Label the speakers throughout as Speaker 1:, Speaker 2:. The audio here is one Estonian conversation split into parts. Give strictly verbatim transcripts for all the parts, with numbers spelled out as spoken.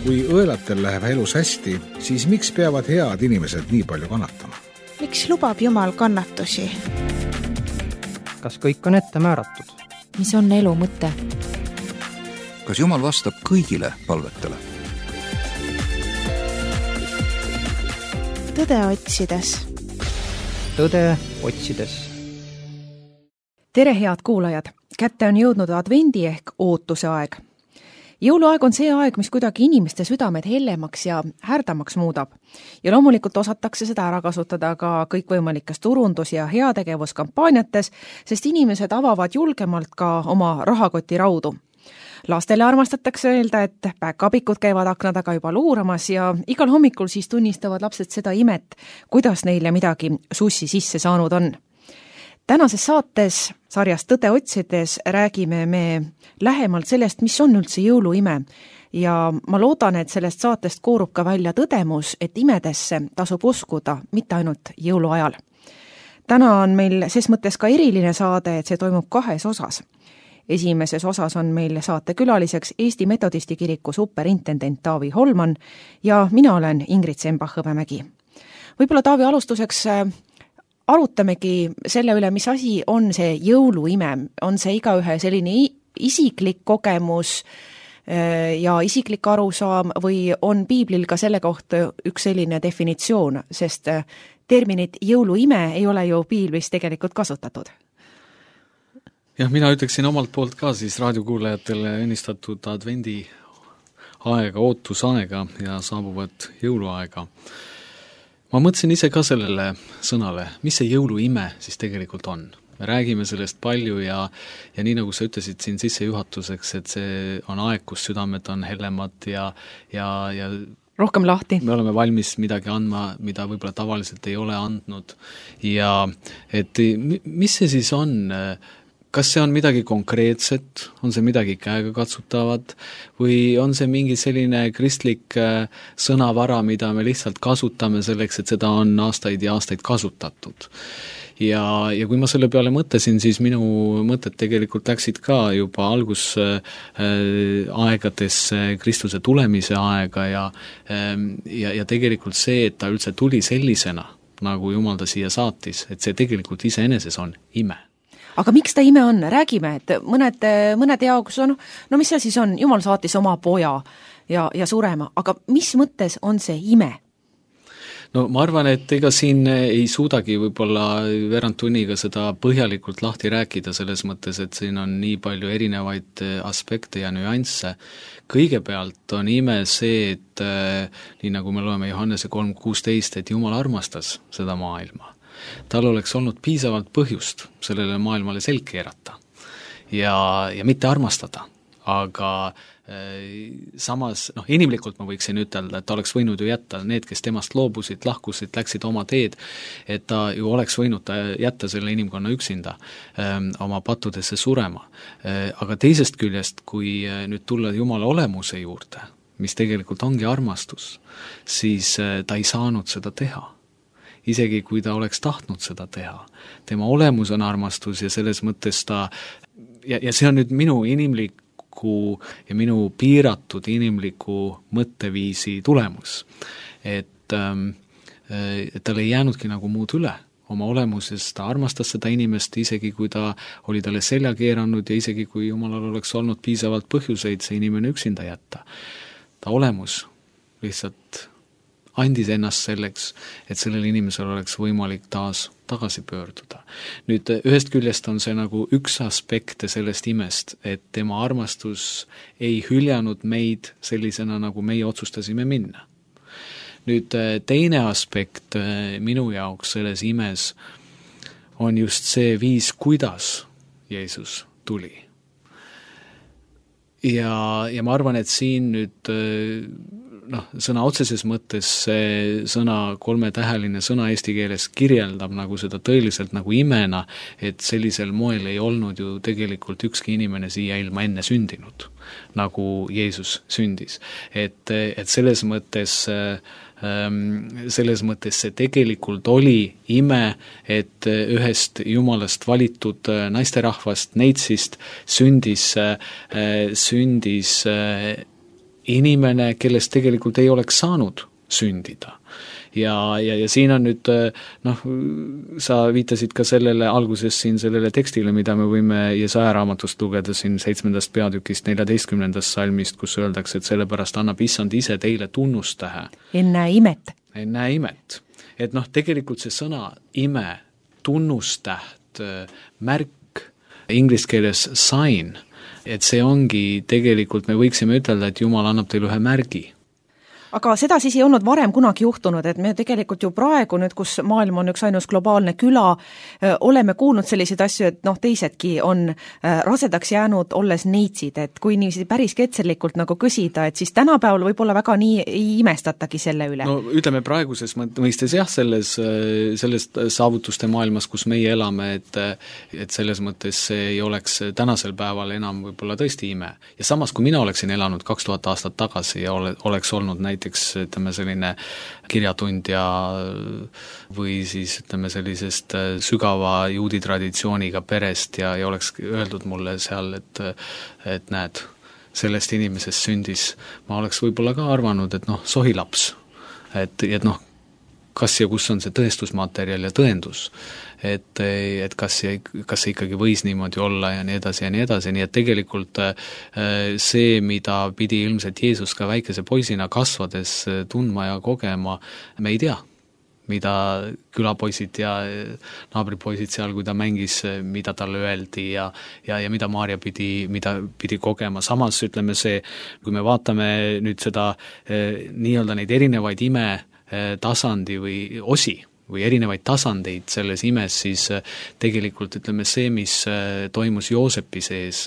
Speaker 1: Kui õelatel läheb elus hästi, siis miks peavad head inimesed nii palju kannatama?
Speaker 2: Miks lubab Jumal kannatusi?
Speaker 3: Kas kõik on ette määratud?
Speaker 4: Mis on elu mõte?
Speaker 5: Kas Jumal vastab kõigile palvetele?
Speaker 2: Tõde otsides.
Speaker 3: Tõde otsides.
Speaker 6: Tere, head kuulajad! Kätte on jõudnud advendi ehk ootuse aeg. Jõuluaeg on see aeg, mis kuidagi inimeste südamed hellemaks ja härdamaks muudab. Ja loomulikult osatakse seda ära kasutada ka kõikvõimalikes turundus- ja heategevuskampaaniates, sest inimesed avavad julgemalt ka oma rahakoti raudu. Lastele armastatakse öelda, et päkapikud käivad akna taga juba luuramas ja igal hommikul siis tunnistavad lapsed seda imet, kuidas neile midagi sussi sisse saanud on. Tänases saates sarjast Tõde otsides räägime me lähemalt sellest, mis on üldse jõuluime ja ma loodan, et sellest saatest koorub ka välja tõdemus, et imedesse tasub uskuda mitte ainult jõuluajal. Täna on meil ses mõttes ka eriline saade, et see toimub kahes osas. Esimeses osas on meil saatekülaliseks Eesti Metodisti kiriku superintendent Taavi Holman ja mina olen Ingrid Sembach-Hõbemägi. Võib-olla Taavi alustuseks arutamegi selle üle, mis asi on see jõuluime. On see igaühe selline isiklik kogemus ja isiklik arusaam või on piiblil ka selle kohta üks selline definitsioon, sest terminit jõuluime ei ole ju piiblis tegelikult kasutatud.
Speaker 7: Jah, mina ütleksin omalt poolt ka siis raadiokuulajatele õnnistatud advendi aega, ootusaega ja saabuvat jõuluaega. Ma mõtlesin ise ka sellele sõnale, mis see jõuluime siis tegelikult on. Me räägime sellest palju ja, ja nii nagu sa ütlesid siin sissejuhatuseks, et see on aeg, kus südamed on hellemad ja, ja, ja
Speaker 6: rohkem lahti.
Speaker 7: Me oleme valmis midagi andma, mida võib-olla tavaliselt ei ole andnud. Ja et mis see siis on? Kas see on midagi konkreetset, on see midagi käega katsutavat või on see mingi selline kristlik sõnavara, mida me lihtsalt kasutame selleks, et seda on aastaid ja aastaid kasutatud. Ja, ja kui ma selle peale mõtlesin, siis minu mõtted tegelikult läksid ka juba algus äh, aegades Kristuse tulemise aega ja, äh, ja, ja tegelikult see, et ta üldse tuli sellisena, nagu Jumal ta siia saatis, et see tegelikult iseeneses on ime.
Speaker 6: Aga miks ta ime on? Räägime, et mõned, mõned jaoks on, no mis see siis on? Jumal saatis oma poja ja, ja surema, aga mis mõttes on see ime?
Speaker 7: No ma arvan, et ega siin ei suudagi võib-olla veerand tunniga seda põhjalikult lahti rääkida selles mõttes, et siin on nii palju erinevaid aspekte ja nüansse. Kõigepealt on ime see, et nii nagu me loeme Johannese kolm kuusteist, et Jumal armastas seda maailma. Tal oleks olnud piisavalt põhjust sellele maailmale selg keerata ja, ja mitte armastada, aga äh, samas, noh, inimlikult ma võiksin ütelda, et ta oleks võinud ju jätta need, kes temast loobusid, lahkusid, läksid oma teed, et ta ju oleks võinud jätta selle inimkonna üksinda äh, oma pattudesse surema. Äh, aga teisest küljest, kui nüüd tulla Jumala olemuse juurde, mis tegelikult ongi armastus, siis äh, ta ei saanud seda teha. Isegi kui ta oleks tahtnud seda teha. Tema olemus on armastus ja selles mõttes ta, ja, ja see on nüüd minu inimliku ja minu piiratud inimliku mõtteviisi tulemus. Et, ähm, et tal ei jäänudki nagu muud üle. Oma olemuses ta armastas seda inimest, isegi kui ta oli talle selja keeranud ja isegi kui Jumalal oleks olnud piisavalt põhjuseid see inimene üksinda jätta. Ta olemus lihtsalt andis ennast selleks, et sellel inimesel oleks võimalik taas tagasi pöörduda. Nüüd ühest küljest on see nagu üks aspekte sellest imest, et tema armastus ei hüljanud meid sellisena, nagu meie otsustasime minna. Nüüd teine aspekt minu jaoks selles imes on just see viis, kuidas Jeesus tuli. Ja, ja ma arvan, et siin nüüd noh, sõna otseses mõttes see sõna, kolmetäheline sõna eesti keeles kirjeldab nagu seda tõeliselt nagu imena, et sellisel moel ei olnud ju tegelikult ükski inimene siia ilma enne sündinud, nagu Jeesus sündis. Et, et selles mõttes selles mõttes see tegelikult oli ime, et ühest Jumalast valitud naisterahvast, neitsist sündis, sündis inimene, kellest tegelikult ei oleks saanud sündida. Ja, ja, ja siin on nüüd, noh, sa viitasid ka sellele alguses siin sellele tekstile, mida me võime Jesaja raamatust lugeda siin seitsmendast peatükist neljateistkümnendast salmist, kus öeldakse, et sellepärast annab issand ise teile tunnustähe.
Speaker 6: Ennäe imet.
Speaker 7: Ennäe imet. Et noh, tegelikult see sõna ime, tunnustäht, märk, inglise keeles sign, et see ongi tegelikult, me võiksime ütelda, et Jumal annab teile ühe märgi.
Speaker 6: Aga seda siis ei olnud varem kunagi juhtunud, et me tegelikult ju praegu nüüd, kus maailm on üks ainus globaalne küla, oleme kuulnud selliseid asju, et noh, teisedki on rasedaks jäänud olles neitsid, et kui niiviisi päris ketserlikult nagu küsida, et siis tänapäeval võib-olla väga nii ei imestatagi selle üle.
Speaker 7: No ütleme praeguses mõistes jah, selles, selles saavutuste maailmas, kus meie elame, et, et selles mõttes see ei oleks tänasel päeval enam võib-olla tõesti ime. Ja samas, kui mina oleksin elanud kaks tuhat aastat tagasi ja ole, oleks olnud näiteks ütleme selline kirjatundja või siis ütleme sellisest sügava juudi traditsiooniga perest ja, ja oleks öeldud mulle seal, et, et näed, sellest inimesest sündis, ma oleks võib-olla ka arvanud, et noh, sohilaps, et, et noh, kas ja kus on see tõestusmaterjal ja tõendus, et, et kas, kas see ikkagi võis niimoodi olla ja nii edasi ja nii edasi, nii et tegelikult see, mida pidi ilmselt Jeesus ka väikese poisina kasvades tundma ja kogema, me ei tea, mida külapoisid ja naabripoisid seal, kui ta mängis, mida talle öeldi ja, ja, ja mida Maarja pidi, mida pidi kogema. Samas ütleme see, kui me vaatame nüüd seda nii-öelda neid erinevaid ime tasandi või osi või erinevaid tasandeid selles imes, siis tegelikult ütleme see, mis toimus Joosepi sees,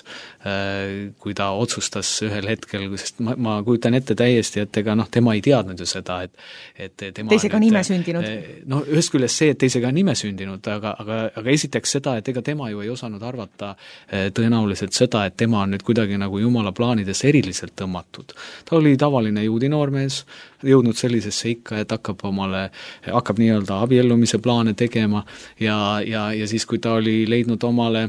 Speaker 7: kui ta otsustas ühel hetkel, sest ma, ma kujutan ette täiesti, et ega noh, tema ei teadnud ju seda, et, et tema
Speaker 6: teisega on ime sündinud.
Speaker 7: No ühest küljest see, et teisega on ime sündinud, aga, aga, aga esiteks seda, et ega tema ju ei osanud arvata tõenäoliselt seda, et tema on nüüd kuidagi nagu Jumala plaanides eriliselt tõmmatud. Ta oli tavaline juudi noormees, jõudnud sellisesse ikka, et hakkab omale, hakkab nii-öelda abiellumise plaane tegema ja, ja, ja siis, kui ta oli leidnud omale,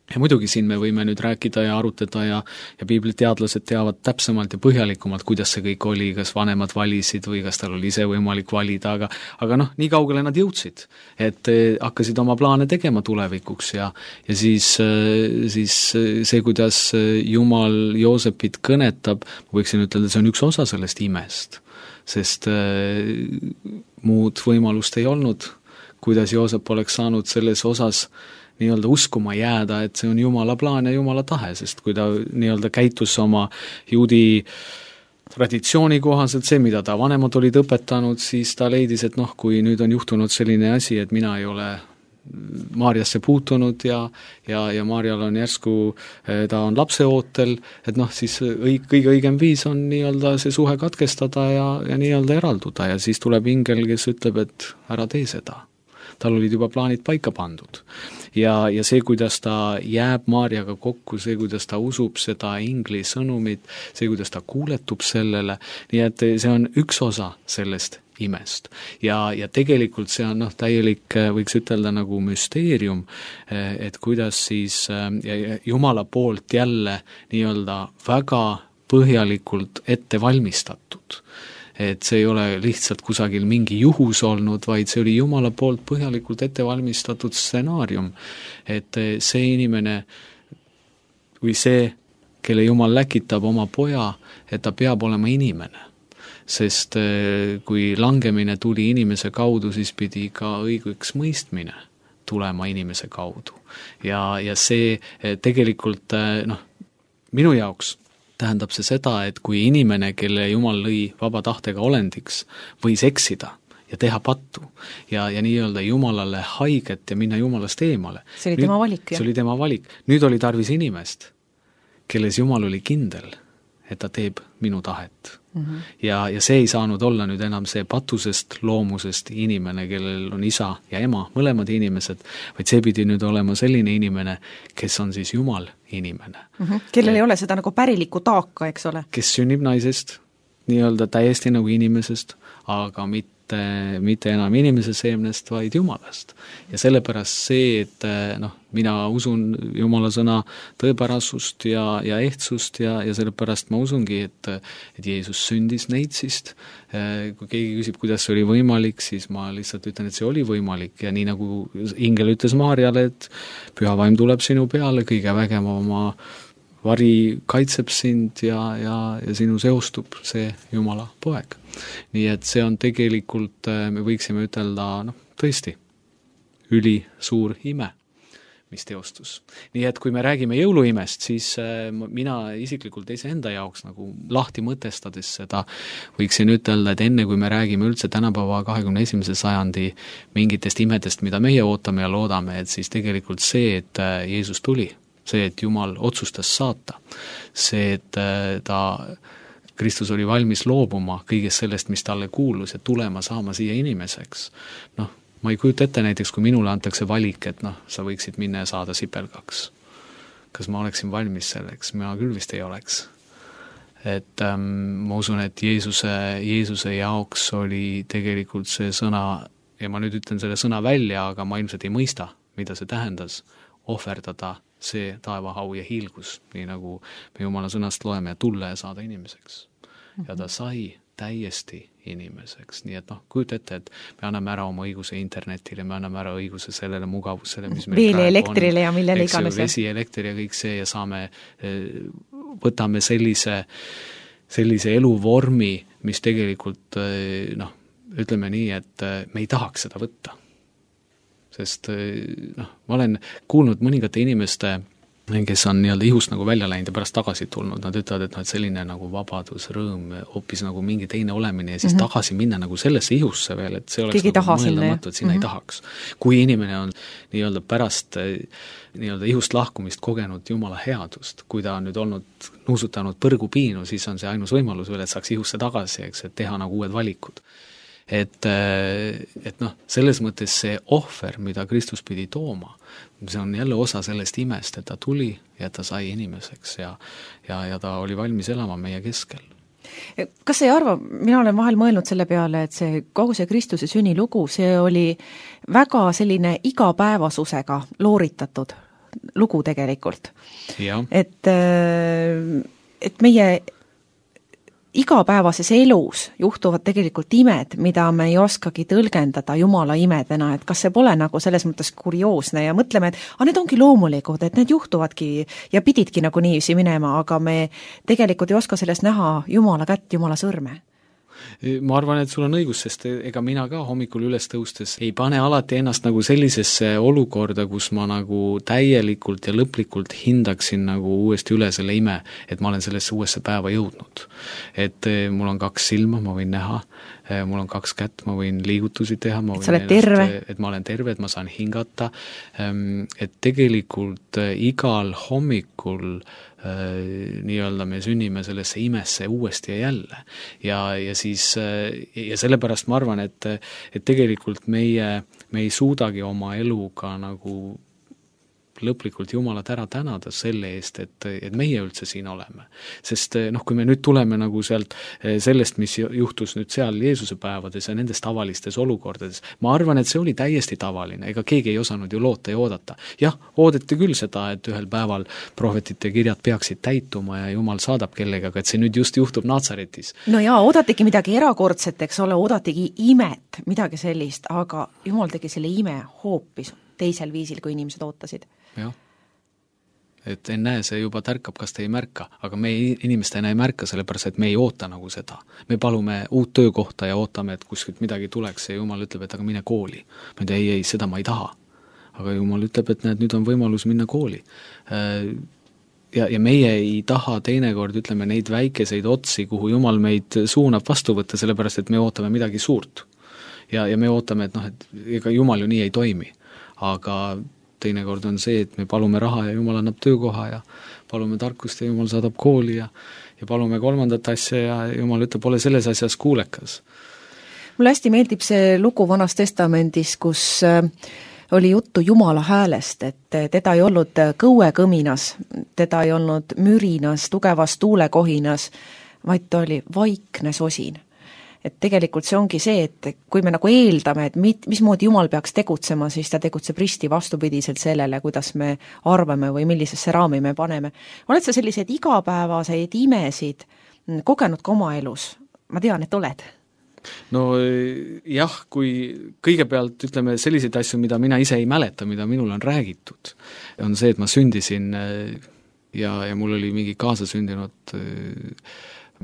Speaker 7: ja muidugi siin me võime nüüd rääkida ja arutada ja, ja piibliteadlased teavad täpsemalt ja põhjalikumalt, kuidas see kõik oli, kas vanemad valisid või kas tal oli ise võimalik valida, aga, aga noh, nii kaugele nad jõudsid, et hakkasid oma plaane tegema tulevikuks ja, ja siis, siis see, kuidas Jumal Joosepit kõnetab, võiksin ütelda, see on üks osa sellest imest, sest muud võimalust ei olnud, kuidas Joosep oleks saanud selles osas nii-öelda uskuma jääda, et see on Jumala plaan ja Jumala tahe, sest kui ta nii-öelda käitus oma juudi traditsiooni kohaselt, see, mida ta vanemad olid õpetanud, siis ta leidis, et noh, kui nüüd on juhtunud selline asi, et mina ei ole Maarjasse puutunud ja, ja, ja Maarjal on järsku, ta on lapseootel, et noh, siis õig, kõige õigem viis on nii-öelda see suhe katkestada ja, ja nii-öelda eralduda ja siis tuleb ingel, kes ütleb, et ära tee seda. Tal olid juba plaanid paika pandud. Ja, ja see, kuidas ta jääb Maarjaga kokku, see, kuidas ta usub seda ingli sõnumit, see, kuidas ta kuuletub sellele, nii et see on üks osa sellest imest. Ja, ja tegelikult see on noh, täielik, võiks ütelda nagu müsteerium, et kuidas siis Jumala poolt jälle nii-öelda väga põhjalikult ette valmistatud. Et see ei ole lihtsalt kusagil mingi juhus olnud, vaid see oli Jumala poolt põhjalikult ette valmistatud stsenaarium, et see inimene või see, kelle Jumal läkitab oma poja, et ta peab olema inimene. Sest kui langemine tuli inimese kaudu, siis pidi ka õigeks mõistmine tulema inimese kaudu. Ja, ja see tegelikult, noh, minu jaoks tähendab see seda, et kui inimene, kelle Jumal lõi vaba tahtega olendiks, võis eksida ja teha pattu ja, ja nii-öelda Jumalale haiget ja minna Jumalast eemale.
Speaker 6: See oli Nüüd, tema valik, jah?
Speaker 7: See oli tema valik. Nüüd oli tarvis inimest, kelles Jumal oli kindel, et ta teeb minu tahet. Mm-hmm. Ja, ja see ei saanud olla nüüd enam see patusest loomusest inimene, kellel on isa ja ema, mõlemad inimesed, vaid see pidi nüüd olema selline inimene, kes on siis Jumal inimene.
Speaker 6: Mm-hmm. Kellel ja, ei ole seda nagu pärilikku taaka, eks ole?
Speaker 7: Kes sünnib naisest, nii-öelda täiesti nagu inimesest, aga mitte mitte, mitte enam inimese seemnest, vaid Jumalast. Ja sellepärast see, et noh, mina usun Jumala sõna tõepärasust ja, ja ehtsust ja, ja sellepärast ma usungi, et, et Jeesus sündis neitsist. Kui keegi küsib, kuidas see oli võimalik, siis ma lihtsalt ütlen, et see oli võimalik ja nii nagu ingel ütles Maarjale, et püha vaim tuleb sinu peale, kõige vägevama vari kaitseb sind ja, ja, ja sinu seostub see Jumala poeg. Nii et see on tegelikult, me võiksime ütelda, noh, tõesti, üli suur ime, mis teostus. Nii et kui me räägime jõuluimest, siis mina isiklikult iseenda jaoks nagu lahti mõtestades seda võiksin ütelda, et enne kui me räägime üldse tänapäeva kahekümne esimese sajandi mingitest imedest, mida meie ootame ja loodame, et siis tegelikult see, et Jeesus tuli, see, et Jumal otsustas saata, see, et ta, Kristus oli valmis loobuma kõigest sellest, mis talle kuulus ja tulema saama siia inimeseks. Noh, ma ei kujuta ette näiteks, kui minule antakse valik, et noh, sa võiksid minna ja saada sipelgaks. Kas ma oleksin valmis selleks? Ma küll vist ei oleks. Et ähm, ma usun, et Jeesuse, Jeesuse jaoks oli tegelikult see sõna, ja ma nüüd ütlen selle sõna välja, aga ma ilmselt ei mõista, mida see tähendas, ohverdada see taevahau ja hiilgus, nii nagu me Jumala sõnast loeme ja tulla ja saada inimeseks. Ja ta sai täiesti inimeseks, nii et noh, kujuta ette, et me anname ära oma õiguse internetile, me anname ära õiguse sellele mugavusele, mis meil
Speaker 6: Veeli elektrile on, ja millele iganes.
Speaker 7: Vesi, elekter ja kõik see ja saame, võtame sellise, sellise eluvormi, mis tegelikult noh, ütleme nii, et me ei tahaks seda võtta. Sest noh, ma olen kuulnud mõningate inimeste, kes on nii-öelda ihust nagu välja läinud ja pärast tagasi tulnud, nad ütlevad, et, no, et selline nagu vabadus, rõõm, hoopis nagu mingi teine olemine ja siis mm -hmm. tagasi minna nagu sellesse ihusse veel, et see oleks
Speaker 6: Keegi
Speaker 7: nagu mõeldamatu, et sinna mm -hmm. ei tahaks. Kui inimene on nii-öelda pärast nii-öelda ihust lahkumist kogenud Jumala headust, kui ta on nüüd olnud nuusutanud põrgupiinu, siis on see ainus võimalus veel, et saaks ihusse tagasi, eks, et teha nagu uued valikud. Et, et noh, selles mõttes see ohver, mida Kristus pidi tooma, see on jälle osa sellest imest, et ta tuli ja ta sai inimeseks ja, ja, ja ta oli valmis elama meie keskel.
Speaker 6: Kas sa ei arva, mina olen vahel mõelnud selle peale, et see kogu see Kristuse sünnilugu, see oli väga selline igapäevasusega looritatud lugu tegelikult. Et, et meie igapäevases elus juhtuvad tegelikult imed, mida me ei oskagi tõlgendada Jumala imedena, et kas see pole nagu selles mõttes kurioosne ja mõtleme, et a, need ongi loomulikud, et need juhtuvadki ja pididki nagu niiviisi minema, aga me tegelikult ei oska sellest näha Jumala kätt, Jumala sõrme.
Speaker 7: Ma arvan, et sul on õigus, sest ega mina ka hommikul üles tõustes ei pane alati ennast nagu sellisesse olukorda, kus ma nagu täielikult ja lõplikult hindaksin nagu uuesti üle selle ime, et ma olen sellesse uuesse päeva jõudnud. Et mul on kaks silma, ma võin näha, mul on kaks kätt, ma võin liigutusi teha, ma võin
Speaker 6: et, ennast,
Speaker 7: et ma olen terve, et ma saan hingata, et tegelikult igal hommikul nii-öelda me sünnime sellesse imesse uuesti ja jälle. Ja, ja siis, ja sellepärast ma arvan, et, et tegelikult meie, me ei suudagi oma eluga nagu lõplikult Jumalat ära tänada selle eest, et, et meie üldse siin oleme. Sest noh, kui me nüüd tuleme nagu sealt sellest, mis juhtus nüüd seal Jeesuse päevades ja nendes tavalistes olukordades, ma arvan, et see oli täiesti tavaline, ega keegi ei osanud ju loota ja oodata. Jah, oodati küll seda, et ühel päeval prohvetite kirjad peaksid täituma ja Jumal saadab kellega, et see nüüd just juhtub Natsaretis.
Speaker 6: No jaa, oodatigi midagi erakordset, eks ole, oodatigi imet, midagi sellist, aga Jumal tegi selle ime hoopis teisel viisil, kui inimesed ootasid.
Speaker 7: Jah, et ennäe, see juba tärkab, kas te ei märka, aga me inimestena ei märka, sellepärast, et me ei oota nagu seda. Me palume uut töökohta ja ootame, et kuskilt midagi tuleks ja Jumal ütleb, et aga mine kooli. Ma ei tea, ei, ei, seda ma ei taha. Aga Jumal ütleb, et näed, nüüd on võimalus minna kooli. Ja, ja meie ei taha teinekord, ütleme, neid väikeseid otsi, kuhu Jumal meid suunab vastu võtta, sellepärast, et me ootame midagi suurt. Ja, ja me ootame, et noh, et ega Jumal ju nii ei toimi. Aga teinekord on see, et me palume raha ja Jumal annab töökoha ja palume tarkust ja Jumal saadab kooli ja, ja palume kolmandat asja ja Jumal ütleb, pole selles asjas kuulekas.
Speaker 6: Mulle hästi meeldib see lugu Vanas Testamendis, kus oli juttu Jumala häälest, et teda ei olnud kõuekõminas, teda ei olnud mürinas, tugevas tuulekohinas, vaid ta oli vaikne sosin. et tegelikult see ongi see, et kui me nagu eeldame, et mit, mismoodi Jumal peaks tegutsema, siis ta tegutseb risti vastupidiselt sellele, kuidas me arvame või millisesse raami me paneme. Oled sa selliseid igapäevaseid imesid kogenud ka oma elus? Ma tean, et oled.
Speaker 7: No jah, kui kõigepealt ütleme selliseid asju, mida mina ise ei mäleta, mida minul on räägitud, on see, et ma sündisin ja, ja mul oli mingi kaasasündinud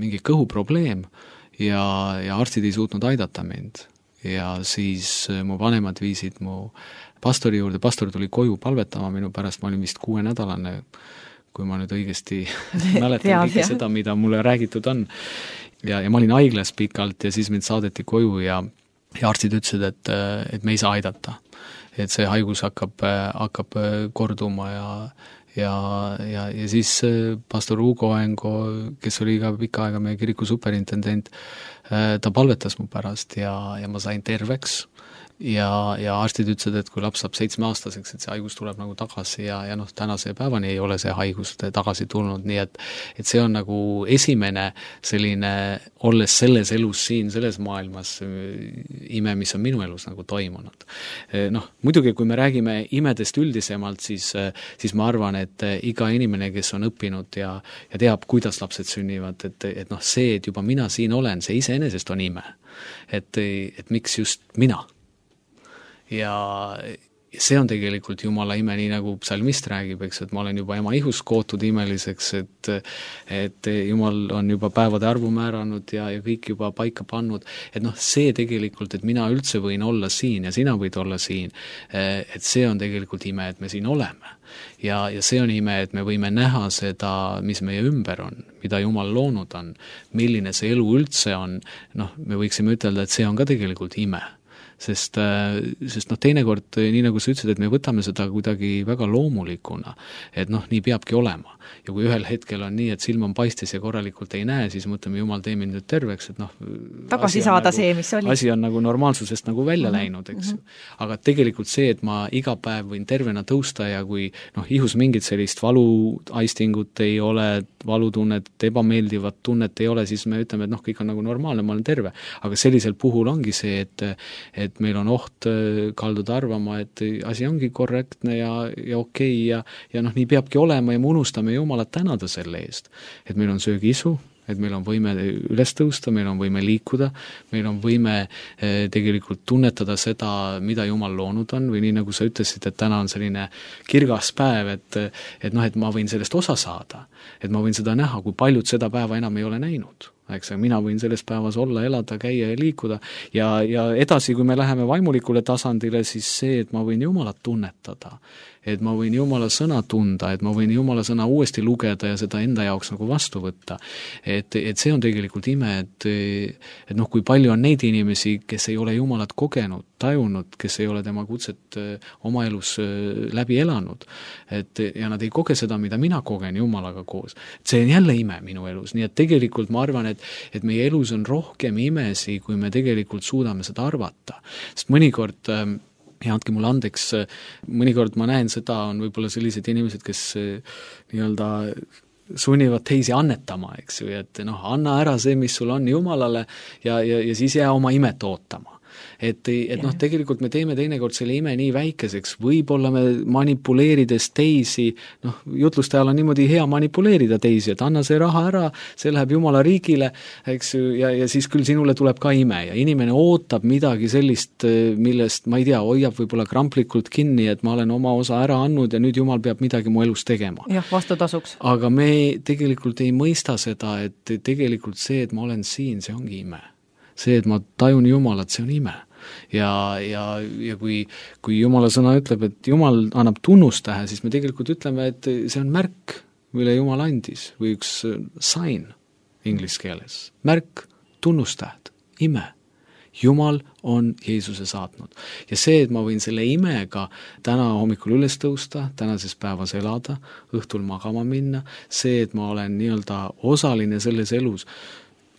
Speaker 7: mingi kõhuprobleem ja, ja arstid ei suutnud aidata mind. Ja siis mu vanemad viisid mu pastori juurde, pastor tuli koju palvetama minu pärast, ma olin vist kuuenädalane, kui ma nüüd õigesti mäletan kõike seda, mida mulle räägitud on. Ja, ja ma olin haiglas pikalt ja siis mind saadeti koju ja, ja arstid ütlesid, et, et me ei saa aidata. Et see haigus hakkab, hakkab korduma ja Ja, ja, ja siis pastor Hugo Engo, kes oli ka pikka aega meie kiriku superintendent, ta palvetas mu pärast ja, ja ma sain terveks ja, ja arstid ütlesid, et kui laps saab seitsmeaastaseks, et see haigus tuleb nagu tagasi ja, ja noh, tänase päevani ei ole see haigus tagasi tulnud, nii et, et see on nagu esimene selline, olles selles elus siin, selles maailmas ime, mis on minu elus nagu toimunud. Noh, muidugi kui me räägime imedest üldisemalt, siis, siis ma arvan, et iga inimene, kes on õppinud ja, ja teab, kuidas lapsed sünnivad, et, et noh, see, et juba mina siin olen, see iseenesest on ime. Et, et miks just mina? Ja see on tegelikult Jumala ime, nii nagu psalmist räägib, eks, et ma olen juba ema ihus kootud imeliseks, et, et Jumal on juba päevade arvu määranud ja, ja kõik juba paika pannud, et noh, see tegelikult, et mina üldse võin olla siin ja sina võid olla siin, et see on tegelikult ime, et me siin oleme. Ja, ja see on ime, et me võime näha seda, mis meie ümber on, mida Jumal loonud on, milline see elu üldse on, noh, me võiksime ütelda, et see on ka tegelikult ime. Sest, sest noh, teinekord, nii nagu sa ütlesid, et me võtame seda kuidagi väga loomulikuna, et noh, nii peabki olema. Ja kui ühel hetkel on nii, et silm on paistis ja korralikult ei näe, siis mõtleme, Jumal tee mind nüüd terveks, et noh,
Speaker 6: tagasi saada
Speaker 7: nagu,
Speaker 6: see, mis oli.
Speaker 7: Asi on nagu normaalsusest nagu välja mm-hmm. läinud, eks ju. Mm-hmm. Aga tegelikult see, et ma iga päev võin tervena tõusta ja kui noh, ihus mingit sellist valuaistingut ei ole, valutunnet, ebameeldivat tunnet ei ole, siis me ütleme, et noh, kõik on nagu normaalne, ma olen terve. Aga sellisel puhul ongi see, et, et et meil on oht kalduda arvama, et asi ongi korrektne ja, ja okei ja, ja noh, nii peabki olema ja me unustame Jumalat tänada selle eest. Et meil on söögiisu, et meil on võime üles tõusta, meil on võime liikuda, meil on võime eh, tegelikult tunnetada seda, mida Jumal loonud on, või nii nagu sa ütlesid, et täna on selline kirgas päev, et, et noh, et ma võin sellest osa saada, et ma võin seda näha, kui paljud seda päeva enam ei ole näinud. Eks, mina võin selles päevas olla, elada, käia ja liikuda ja, ja edasi, kui me läheme vaimulikule tasandile, siis see, et ma võin Jumalat tunnetada, et ma võin Jumala sõna tunda, et ma võin Jumala sõna uuesti lugeda ja seda enda jaoks nagu vastu võtta. Et, et see on tegelikult ime, et, et noh, kui palju on neid inimesi, kes ei ole Jumalat kogenud, tajunud, kes ei ole tema kutset oma elus läbi elanud, et ja nad ei koge seda, mida mina kogen Jumalaga koos. See on jälle ime minu elus, nii et tegelikult ma arvan, et, et meie elus on rohkem imesi, kui me tegelikult suudame seda arvata. Sest mõnikord ja andke mulle andeks, mõnikord ma näen seda, on võib-olla sellised inimesed, kes nii-öelda sunnivad teisi annetama, eks ju, et noh, anna ära see, mis sul on Jumalale ja, ja, ja siis jää oma imet ootama. Et, et noh, tegelikult me teeme teinekord selle ime nii väikeseks, võib-olla me manipuleerides teisi, noh, jutluste ajal on niimoodi hea manipuleerida teisi, et anna see raha ära, see läheb Jumala riigile, eks ju, ja, ja siis küll sinule tuleb ka ime ja inimene ootab midagi sellist, millest, ma ei tea, hoiab võib-olla kramplikult kinni, et ma olen oma osa ära andnud ja nüüd Jumal peab midagi mu elus tegema.
Speaker 6: jah, vastutasuks.
Speaker 7: Aga me tegelikult ei mõista seda, et tegelikult see, et ma olen siin, see ongi ime. See, et ma tajun Jumalat, see on ime. Ja, ja, ja kui, kui Jumala sõna ütleb, et Jumal annab tunnustähe, siis me tegelikult ütleme, et see on märk, mille Jumal andis, või üks sign inglis keeles. Märk, tunnustähed, ime. Jumal on Jeesuse saatnud. Ja see, et ma võin selle imega täna hommikul üles tõusta, tänases päevas elada, õhtul magama minna, see, et ma olen nii-öelda osaline selles elus,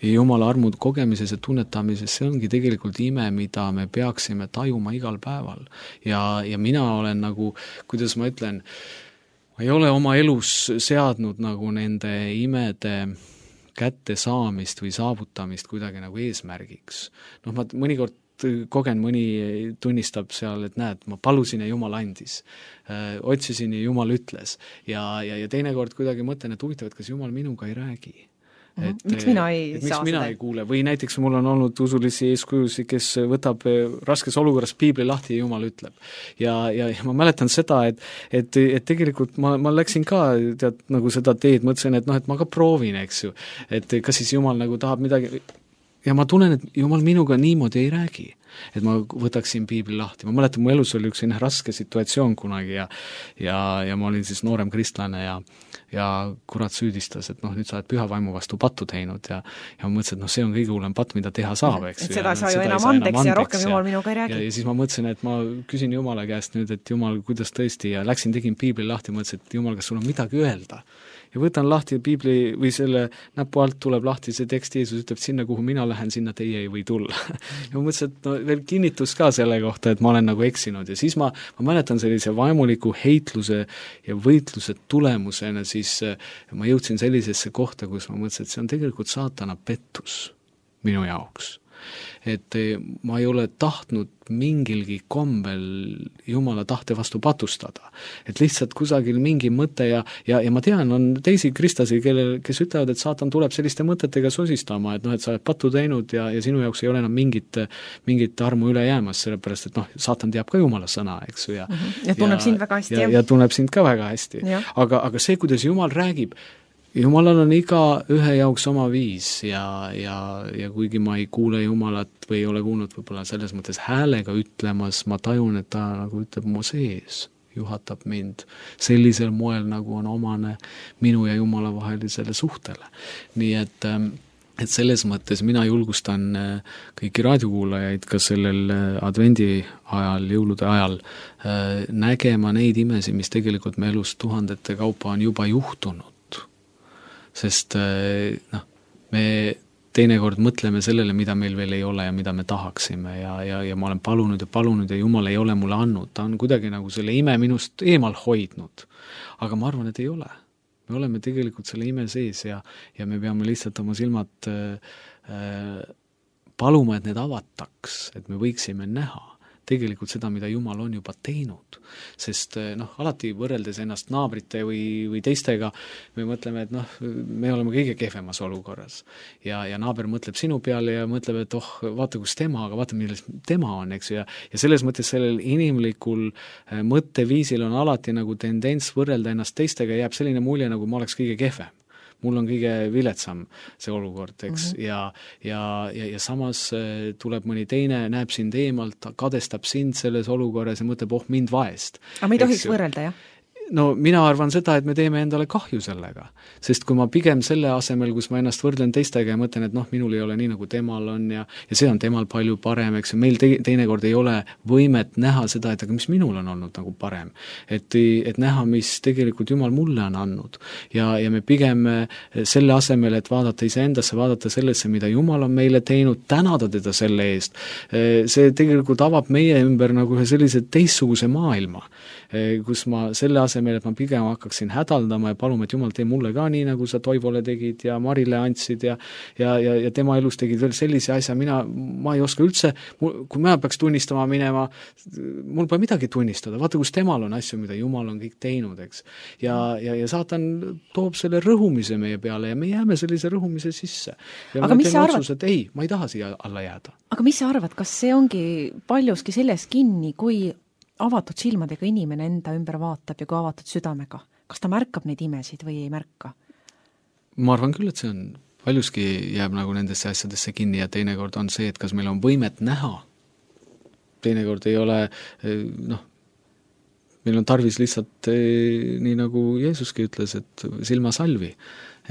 Speaker 7: Jumala armu kogemises ja tunnetamises, see ongi tegelikult ime, mida me peaksime tajuma igal päeval. Ja, ja mina olen nagu, kuidas ma ütlen, ma ei ole oma elus seadnud nagu nende imede kätte saamist või saavutamist kuidagi nagu eesmärgiks. Noh, ma mõnikord kogen, mõni tunnistab seal, et näed, ma palusin ja Jumal andis. Öö, otsisin ja Jumal ütles. Ja, ja, ja teinekord kuidagi mõtlen, et huvitav, et kas Jumal minuga ei räägi.
Speaker 6: Et, miks mina ei
Speaker 7: et,
Speaker 6: saa
Speaker 7: miks mina
Speaker 6: seda?
Speaker 7: ei kuule või näiteks mul on olnud usulisi eeskujusi, kes võtab raskes olukorras piibli lahti ja Jumal ütleb. Ja, ja, ja ma mäletan seda, et, et, et tegelikult ma, ma läksin ka tead, nagu seda teed, mõtlesin, et noh, et ma ka proovin, eks ju, et kas siis Jumal nagu tahab midagi ja ma tunnen, et Jumal minuga niimoodi ei räägi, et ma võtaksin piibli lahti. Ma mäletan, mu elus oli üks selline raske situatsioon kunagi ja, ja, ja ma olin siis noorem kristlane ja, ja kurat süüdistas, et noh, nüüd sa oled püha vaimu vastu pattu teinud ja, ja ma mõtlesin, et noh, see on kõige hullem patt, mida teha saab, eks.
Speaker 6: Et seda
Speaker 7: ja,
Speaker 6: saa ju enam andeks ja rohkem Jumal minuga ei räägi.
Speaker 7: Ja, ja siis ma mõtlesin, et ma küsin Jumala käest nüüd, et Jumal, kuidas tõesti ja läksin, tegin piibli lahti, mõtlesin, et Jumal, kas sul on midagi öelda? Ja võtan lahti piibli või selle näpu alt tuleb lahti see tekst, Jeesus ütleb, sinna, kuhu mina lähen, sinna teie ei või tulla. Ja ma mõtlesin, et no, veel kinnitus ka selle kohta, et ma olen nagu eksinud ja siis ma, ma mäletan sellise vaimuliku heitluse ja võitluse tulemusena, siis ma jõudsin sellisesse kohta, kus ma mõtlesin, et see on tegelikult saatana pettus minu jaoks. Et ma ei ole tahtnud mingilgi kombel Jumala tahte vastu patustada. Et lihtsalt kusagil mingi mõte ja, ja, ja ma tean, on teisi kristlasi, kellel, kes ütlevad, et saatan tuleb selliste mõtetega sosistama, et noh, et sa oled pattu teinud ja, ja sinu jaoks ei ole enam mingit, mingit armu üle jäämas, sellepärast, et noh, saatan teab ka Jumala sõna, eks ju. Ja,
Speaker 6: mm-hmm. ja tunneb ja, sind väga hästi.
Speaker 7: Ja, ja tunneb sind ka väga hästi. Aga, aga see, kuidas Jumal räägib, Jumalal on iga ühe jaoks oma viis ja, ja, ja kuigi ma ei kuule Jumalat või ei ole kuulnud võib-olla selles mõttes häälega ütlemas, ma tajun, et ta nagu ütleb mu sees, juhatab mind sellisel moel, nagu on omane minu ja Jumala vahelisele suhtele. Nii et, et selles mõttes mina julgustan kõiki raadiokuulajaid ka sellel advendi ajal, jõulude ajal nägema neid imesi, mis tegelikult me elus tuhandete kaupa on juba juhtunud. Sest noh, me teinekord mõtleme sellele, mida meil veel ei ole ja mida me tahaksime ja, ja, ja ma olen palunud ja palunud ja Jumal ei ole mulle andnud, ta on kuidagi nagu selle ime minust eemal hoidnud, aga ma arvan, et ei ole. Me oleme tegelikult selle ime sees ja, ja me peame lihtsalt oma silmad äh, paluma, et need avataks, et me võiksime näha tegelikult seda, mida Jumal on juba teinud. Sest noh, alati võrreldes ennast naabrite või, või teistega, me mõtleme, et noh, me oleme kõige kehvemas olukorras. Ja, ja naaber mõtleb sinu peale ja mõtleb, et oh, vaata kus tema, aga vaata, milles tema on, eks ju. Ja, ja selles mõttes sellel inimlikul mõtteviisil on alati nagu tendents võrrelda ennast teistega ja jääb selline mulje, nagu ma oleks kõige kehvem. Mul on kõige viletsam see olukord, eks, mm-hmm. ja, ja, ja, ja samas tuleb mõni teine, näeb sind eemalt, kadestab sind selles olukorras ja mõtleb, oh, mind vaest.
Speaker 6: Aga me ei tohiks võrrelda, jah?
Speaker 7: No mina arvan seda, et me teeme endale kahju sellega, sest kui ma pigem selle asemel, kus ma ennast võrdlen teistega ja mõtlen, et noh, minul ei ole nii, nagu temal on ja, ja see on temal palju parem, eks, meil te, teinekord ei ole võimet näha seda, et aga mis minul on olnud nagu parem. Et, et näha, mis tegelikult Jumal mulle on andnud ja, ja me pigem selle asemel, et vaadata iseendasse, vaadata sellesse, mida Jumal on meile teinud, tänada teda selle eest, see tegelikult avab meie ümber nagu ühe sellise teistsuguse maailma, kus ma selle asemel, et ma pigem hakkaksin hädaldama ja paluma, et Jumal, tee mulle ka nii, nagu sa Toivole tegid ja Marile andsid ja, ja, ja, ja tema elus tegid veel sellise asja, mina, ma ei oska üldse, kui mina peaks tunnistama minema, mul pole midagi tunnistada, vaata, kus temal on asju, mida Jumal on kõik teinud, eks. Ja, ja, ja saatan toob selle rõhumise meie peale ja me jääme sellise rõhumise sisse. Ja
Speaker 6: aga mis sa arvad?
Speaker 7: Otsus, et ei, ma ei taha siia alla jääda.
Speaker 6: Aga mis sa arvad, kas see ongi paljuski selles kinni, kui avatud silmadega inimene enda ümber vaatab ja kui avatud südamega? Kas ta märkab neid imesid või ei märka?
Speaker 7: Ma arvan küll, et see on, paljuski jääb nagu nendesse asjadesse kinni ja teinekord on see, et kas meil on võimet näha. Teinekord ei ole, noh, meil on tarvis lihtsalt nii nagu Jeesuski ütles, et silmasalvi,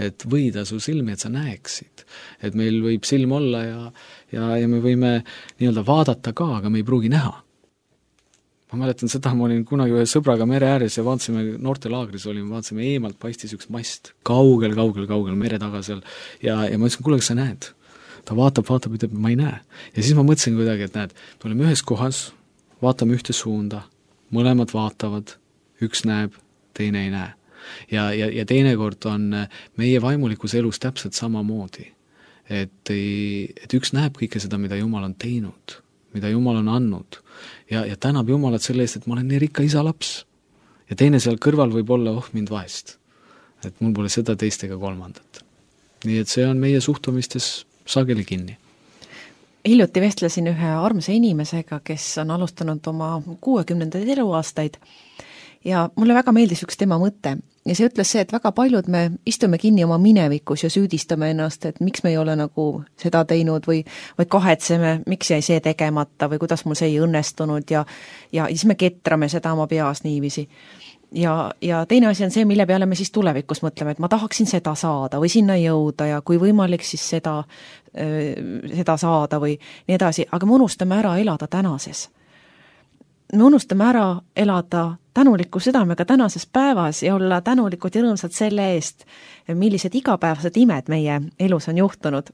Speaker 7: et võida su silmi, et sa näeksid. Et meil võib silm olla ja, ja, ja me võime nii-öelda vaadata ka, aga me ei pruugi näha. Ma mäletan seda, ma olin kunagi ühe sõbraga mere ääres ja vaatasime, noortelaagris olime, vaatasime eemalt, paistis üks mast kaugel, kaugel, kaugel mere taga seal ja, ja ma ütlesin, kuule, kas sa näed? Ta vaatab, vaatab, ütleb, ma ei näe. Ja siis ma mõtlesin kuidagi, et näed, me oleme ühes kohas, vaatame ühte suunda, mõlemad vaatavad, üks näeb, teine ei näe. ja, ja, ja teinekord on meie vaimulikus elus täpselt samamoodi. Et, et üks näeb kõike seda, mida Jumal on teinud, mida Jumal on andnud ja, ja tänab Jumalat selle eest, et ma olen nii rikka isa laps. Ja teine seal kõrval võib olla, oh mind vaest. Et mul pole seda teist ega kolmandat. Nii et see on meie suhtumistes sageli kinni.
Speaker 6: Hiljuti vestlesin ühe armsa inimesega, kes on alustanud oma kuuekümnendaid eluaastaid ja mulle väga meeldis üks tema mõte. Ja see ütles see, et väga paljud me istume kinni oma minevikus ja süüdistame ennast, et miks me ei ole nagu seda teinud või, või kahetseme, miks jäi see tegemata või kuidas mul see ei õnnestunud ja, ja siis me ketrame seda oma peas niiviisi. Ja, ja teine asi on see, mille peale me siis tulevikus mõtleme, et ma tahaksin seda saada või sinna jõuda ja kui võimalik siis seda, seda saada või nii edasi, aga me unustame ära elada tänases. Me unustame ära elada tänuliku südamega tänases päevas ja olla tänulikud ja rõõmsad selle eest, millised igapäevased imed meie elus on juhtunud.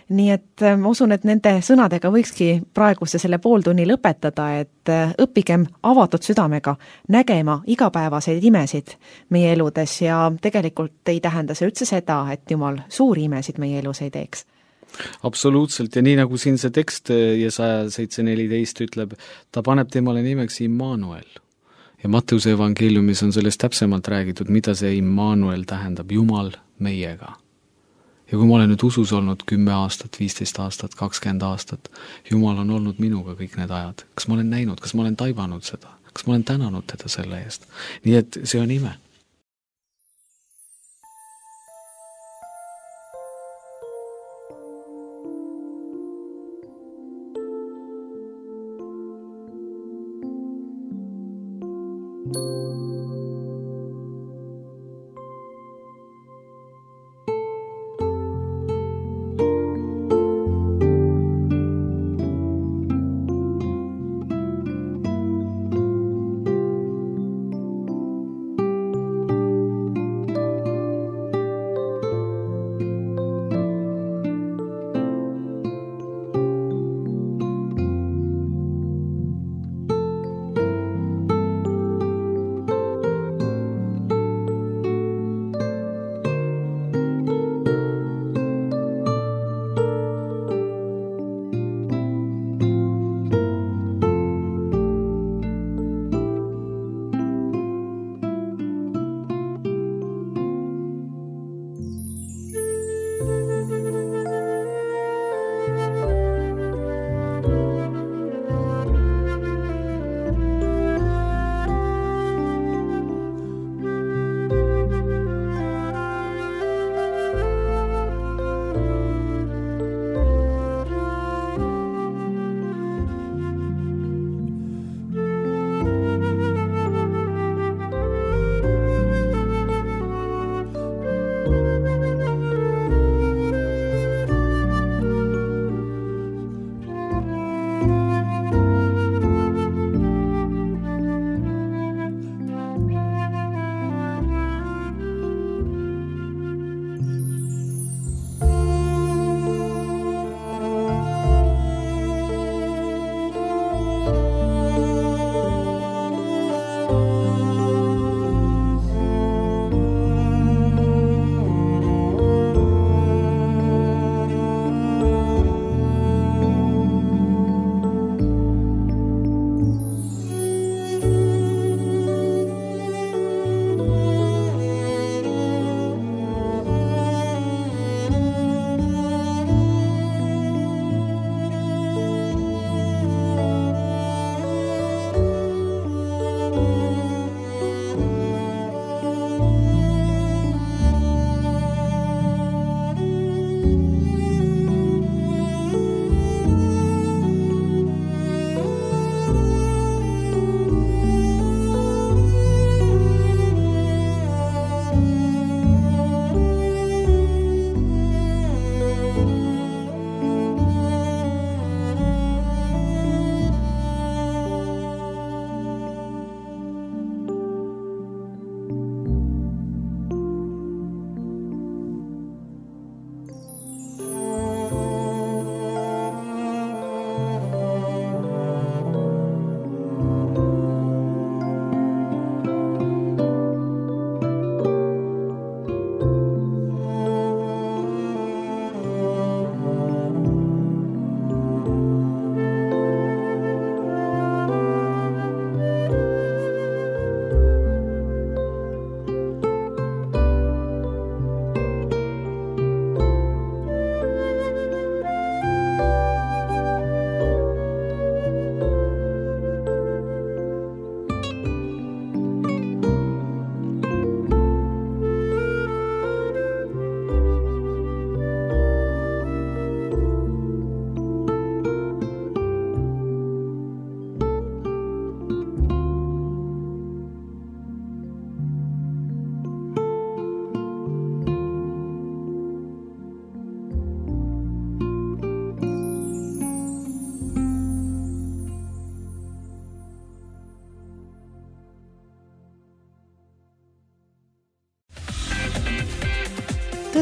Speaker 6: Nii et ma usun, et nende sõnadega võikski praeguse selle pooltunni lõpetada, et õppigem avatud südamega nägema igapäevaseid imesid meie eludes ja tegelikult ei tähenda see üldse seda, et Jumal suuri imesid meie elus ei teeks.
Speaker 7: Absoluutselt ja nii nagu siin see tekst Jesaja seitse neliteist ütleb, ta paneb temale nimeks Immanuel. Ja Matteuse evangeeliumis on sellest täpsemalt räägitud, mida see Immanuel tähendab, Jumal meiega. Ja kui ma olen nüüd usus olnud kümme aastat, viisteist aastat, kakskümmend aastat, Jumal on olnud minuga kõik need ajad. Kas ma olen näinud, kas ma olen taibanud seda? Kas ma olen tänanud teda selle eest? Nii et see on ime.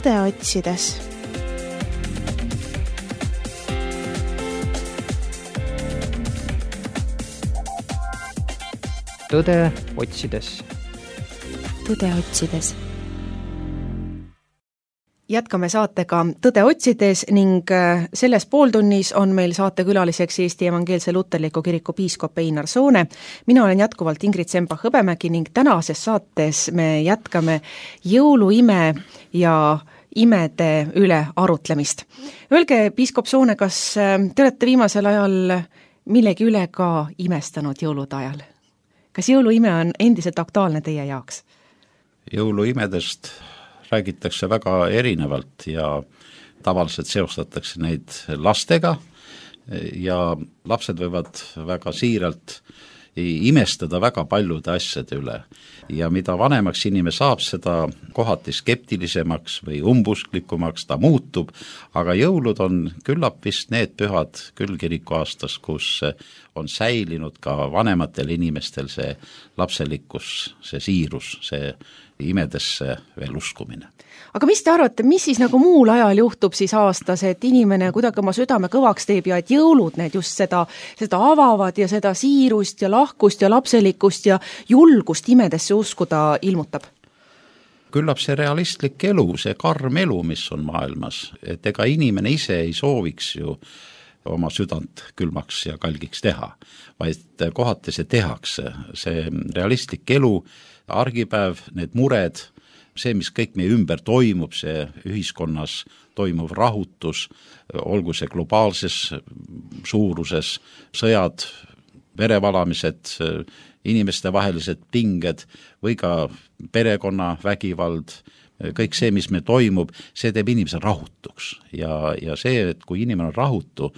Speaker 2: tõde otsides.
Speaker 3: tõde otsides.
Speaker 2: tõde otsides.
Speaker 6: Jätkame saatega Tõde otsides ning selles pooltunnis on meil saatekülaliseks Eesti Evangeelse Luterliku Kiriku piiskop Einar Soone. Mina olen jätkuvalt Ingrid Semba-Hõbemägi ning tänases saates me jätkame jõuluime ja imede üle arutlemist. Öelge, piiskop Soone, kas te olete viimasel ajal millegi üle ka imestanud jõulude ajal? Kas jõuluime on endiselt aktuaalne teie jaoks?
Speaker 4: Jõuluimedest räägitakse väga erinevalt ja tavaliselt seostatakse neid lastega ja lapsed võivad väga siiralt imestada väga paljude asjade üle. Ja mida vanemaks inimene saab, seda kohati skeptilisemaks või umbusklikukumaks ta muutub, aga jõulud on küllap vist need pühad küll kiriku aastas, kus on säilinud ka vanematel inimestel see lapselikkus, see siirus, see imedesse veel uskumine.
Speaker 6: Aga mis te arvate, mis siis nagu muul ajal juhtub siis aastas, et inimene kuidagi oma südame kõvaks teeb ja et jõulud need just seda, seda avavad ja seda siirust ja lahkust ja lapselikkust ja julgust imedesse uskuda ilmutab?
Speaker 4: Küllap see realistlik elu, see karm elu, mis on maailmas, et ega inimene ise ei sooviks ju oma südant külmaks ja kalgiks teha, vaid kohati see tehakse, see realistlik elu, argipäev, need mured, see, mis kõik meie ümber toimub, see ühiskonnas toimuv rahutus, olgu see globaalses suuruses, sõjad, verevalamised, inimeste vahelised pinged või ka perekonna vägivald, kõik see, mis me toimub, see teeb inimese rahutuks ja, ja see, et kui inimene on rahutu,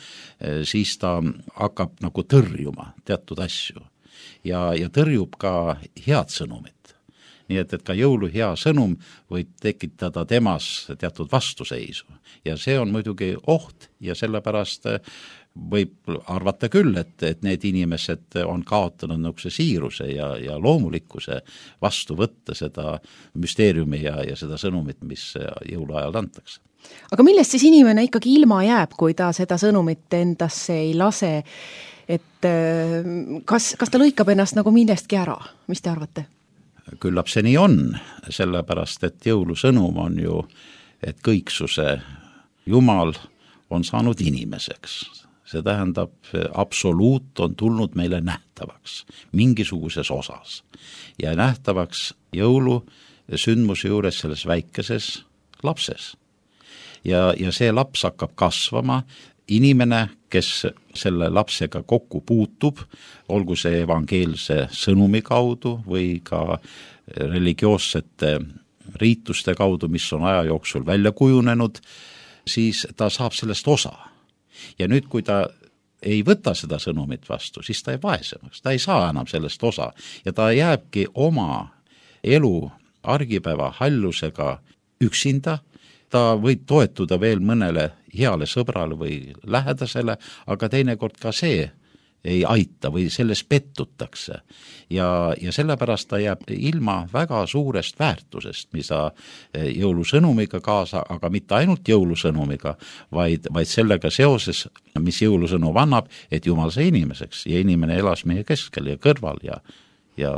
Speaker 4: siis ta hakkab nagu tõrjuma teatud asju ja, ja tõrjub ka head sõnumit. Nii et, et ka jõulu hea sõnum võib tekitada temas teatud vastuseisu ja see on muidugi oht ja sellepärast võib arvata küll, et, et need inimesed on kaotanud niisuguse siiruse ja, ja loomulikkuse vastu võtta seda müsteeriumi ja, ja seda sõnumit, mis jõuluajal antakse.
Speaker 6: Aga millest siis inimene ikkagi ilma jääb, kui ta seda sõnumit endasse ei lase, et kas, kas ta lõikab ennast nagu millestki ära, mis te arvate?
Speaker 4: Küllap see nii on, sellepärast, et jõulusõnum on ju, et kõiksuse Jumal on saanud inimeseks. See tähendab, absoluut on tulnud meile nähtavaks mingisuguses osas ja nähtavaks jõulu sündmuse juures selles väikeses lapses. Ja, ja see laps hakkab kasvama, inimene, kes selle lapsega kokku puutub, olgu see evangeelse sõnumi kaudu või ka religioossete riituste kaudu, mis on aja jooksul välja kujunenud, siis ta saab sellest osa. Ja nüüd, kui ta ei võta seda sõnumit vastu, siis ta ei vaesemaks, ta ei saa enam sellest osa ja ta jääbki oma elu argipäeva hallusega üksinda. Ta võib toetuda veel mõnele heale sõbrale või lähedasele, aga teinekord ka see ei aita või selles pettutakse. Ja, ja sellepärast ta jääb ilma väga suurest väärtusest, mida jõulusõnumiga kaasa, aga mitte ainult jõulusõnumiga, vaid, vaid sellega seoses, mis jõulusõnum annab, et Jumal sai inimeseks ja inimene elas meie keskel ja kõrval ja, ja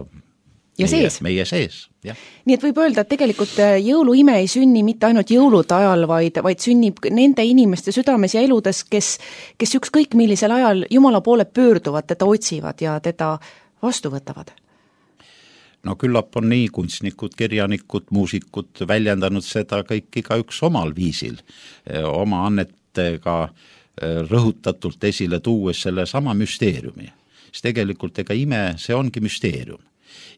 Speaker 6: Ja
Speaker 4: meie,
Speaker 6: sees.
Speaker 4: meie sees. Jah.
Speaker 6: Nii et võib öelda, et tegelikult jõuluime ei sünni mitte ainult jõulude ajal, vaid, vaid sünnib nende inimeste südames ja eludes, kes, kes ükskõik millisel ajal Jumala poole pöörduvad, teda otsivad ja teda vastu võtavad.
Speaker 4: No küllap on nii kunstnikud, kirjanikud, muusikud väljendanud seda kõik iga üks omal viisil, oma annetega rõhutatult esile tuues selle sama müsteeriumi. Siis tegelikult ega ime, see ongi müsteerium.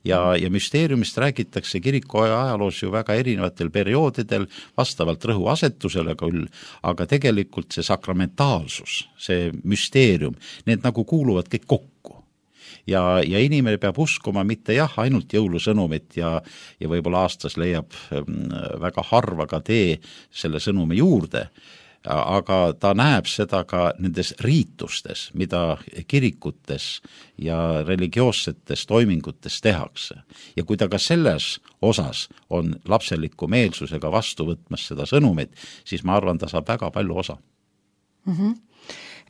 Speaker 4: Ja, ja müsteeriumist räägitakse kiriku ajaloos ju väga erinevatel perioodidel vastavalt rõhuasetusele küll, aga tegelikult see sakramentaalsus, see müsteerium, need nagu kuuluvad kõik kokku. Ja, ja inimene peab uskuma mitte jah, ainult jõulusõnumit ja, ja võib-olla aastas leiab väga harva ka tee selle sõnumi juurde, aga ta näeb seda ka nendes riitustes, mida kirikutes ja religioossetes toimingutes tehakse. Ja kui ta ka selles osas on lapseliku meelsusega vastu võtmas seda sõnumit, siis ma arvan, ta saab väga palju osa.
Speaker 6: Mm-hmm.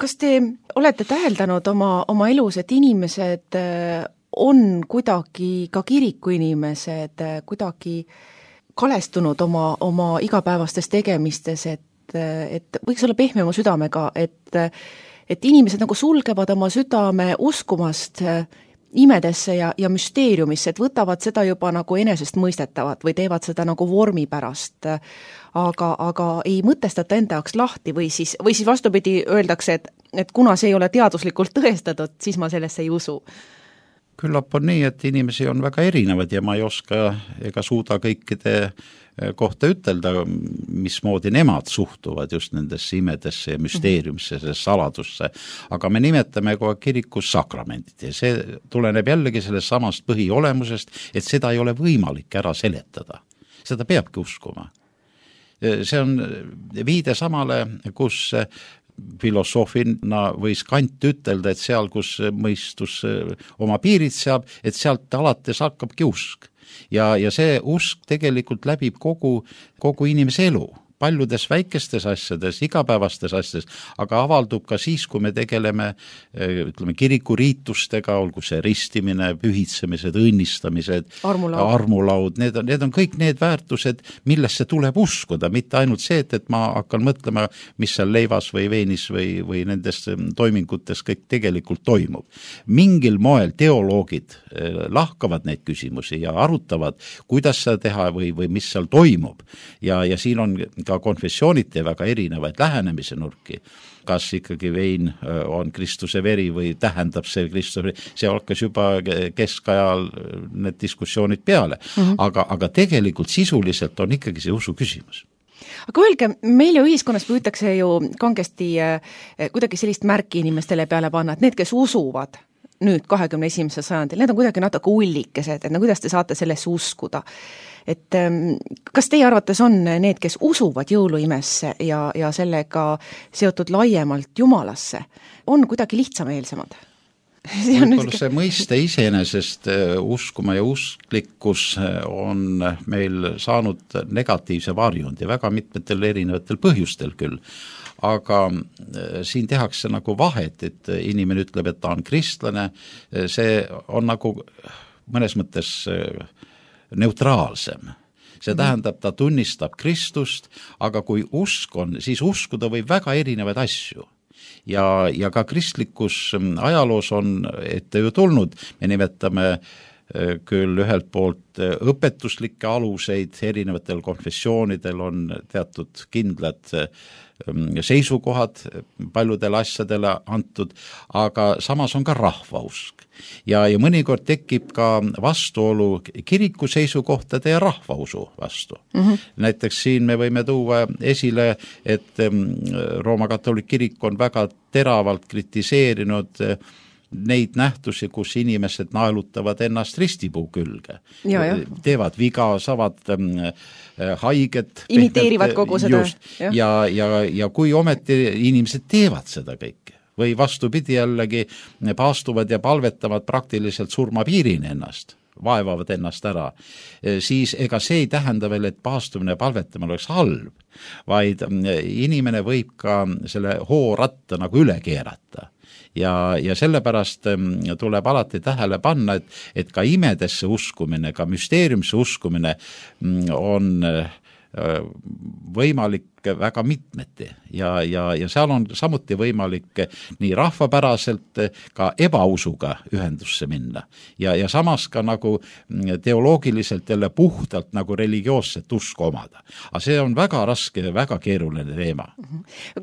Speaker 6: Kas te olete täheldanud oma, oma elus, et inimesed on kuidagi, ka kiriku inimesed, kuidagi kalestunud oma, oma igapäevastes tegemistes, et, et võiks olla pehmema südamega, et, et inimesed nagu sulgevad oma südame uskumast imedesse ja, ja müsteeriumisse, et võtavad seda juba nagu enesest mõistetavat või teevad seda nagu vormi pärast, aga, aga ei mõtestata enda jaoks lahti või siis, või siis vastupidi öeldakse, et, et kuna see ei ole teaduslikult tõestatud, siis ma sellesse ei usu.
Speaker 4: Küllap on nii, et inimesi on väga erinevad ja ma ei oska ega suuda kõikide kohta ütelda, mismoodi nemad suhtuvad just nendesse imedesse ja müsteeriumisse, sellesse saladusse. Aga me nimetame kogu kirikus sakramendid ja see tuleneb jällegi sellest samast põhiolemusest, et seda ei ole võimalik ära seletada. Seda peabki uskuma. See on viide samale, kus filosoofina võis Kant ütelda, et seal, kus mõistus oma piirid seab, et sealt alates hakkabki usk. Ja, ja see usk tegelikult läbib kogu, kogu inimese elu, paljudes väikestes asjades, igapäevastes asjades, aga avaldub ka siis, kui me tegeleme ütleme, kirikuriitustega, olgu see ristimine, pühitsemised, õnnistamised,
Speaker 6: armulaud,
Speaker 4: armulaud need, on, need on kõik need väärtused, millesse tuleb uskuda, mitte ainult see, et, et ma hakkan mõtlema, mis seal leivas või veinis või, või nendes toimingutes kõik tegelikult toimub. Mingil moel teoloogid lahkavad neid küsimusi ja arutavad, kuidas seda teha või, või mis seal toimub ja, ja siin on ka konfessiooniti väga erinevaid lähenemise nurki. Kas ikkagi vein on Kristuse veri või tähendab see Kristuse veri, see hakkas juba keskajal need diskussioonid peale, mm-hmm. aga, aga tegelikult sisuliselt on ikkagi see usu küsimus.
Speaker 6: Aga öelge, meil ju ühiskonnas püütakse ju kangesti kuidagi sellist märki inimestele peale panna, et need, kes usuvad nüüd kahekümne esimesel sajandil, need on kuidagi natuke ullikesed, et no kuidas te saate sellesse uskuda? Et kas teie arvates on need, kes usuvad jõuluimesse ja, ja sellega seotud laiemalt Jumalasse, on kuidagi lihtsameelsemad? See on
Speaker 4: võib-olla see mõiste iseenesest uskuma ja usklikkus on meil saanud negatiivse varjundi väga mitmetel erinevatel põhjustel küll, aga siin tehakse nagu vahet, et inimene ütleb, et ta on kristlane, see on nagu mõnes mõttes neutraalsem. See tähendab, ta tunnistab Kristust, aga kui usk on, siis uskuda võib väga erinevaid asju. Ja, ja ka kristlikus ajaloos on ette ju tulnud, me nimetame küll ühelt poolt õpetuslikke aluseid, erinevatel konfessioonidel on teatud kindlad seisukohad paljudele asjadele antud, aga samas on ka rahvausk. Ja, ja mõnikord tekib ka vastuolu kiriku seisukohtade ja rahvausu vastu. Mm-hmm. Näiteks siin me võime tuua esile, et Rooma katoliik kirik on väga teravalt kritiseerinud neid nähtusi, kus inimesed naelutavad ennast ristipuu külge. Ja, ja. Teevad viga, saavad ähm, haiget.
Speaker 6: Imiteerivad kogu seda.
Speaker 4: Just. Ja, ja, ja kui ometi inimesed teevad seda kõike või vastupidi jällegi paastuvad ja palvetavad praktiliselt surmapiirini ennast, vaevavad ennast ära, siis ega see ei tähenda veel, et paastumine ja palvetamine oleks halb, vaid inimene võib ka selle hooratta nagu üle keerata. Ja, ja sellepärast tuleb alati tähele panna, et, et ka imedesse uskumine, ka müsteeriumisse uskumine on võimalik väga mitmeti ja, ja, ja seal on samuti võimalik nii rahvapäraselt ka ebausuga ühendusse minna ja, ja samas ka nagu teoloogiliselt jälle puhtalt nagu religioosset usku omada. Aga see on väga raske, väga keeruline teema.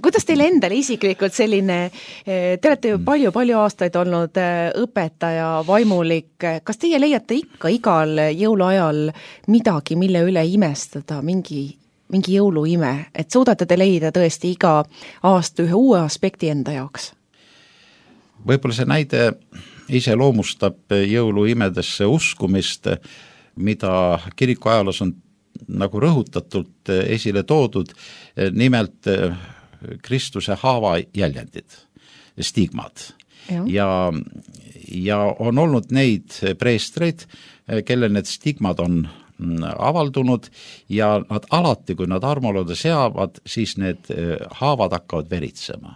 Speaker 6: Kuidas teile endale isiklikult selline, te olete ju palju-palju aastaid olnud õpetaja, vaimulik, kas teie leiate ikka igal jõuluajal midagi, mille üle imestada, mingi mingi jõuluime, et suudate te leida tõesti iga aasta ühe uue aspekti enda jaoks?
Speaker 4: Võib-olla see näide ise loomustab jõuluimedesse uskumist, mida kiriku ajaloos on nagu rõhutatult esile toodud. Nimelt Kristuse haava jäljendid, stigmad. Ja, ja, ja on olnud neid preestreid, kellel need stigmad on avaldunud ja nad alati, kui nad armolode seavad, siis need haavad hakkavad veritsema.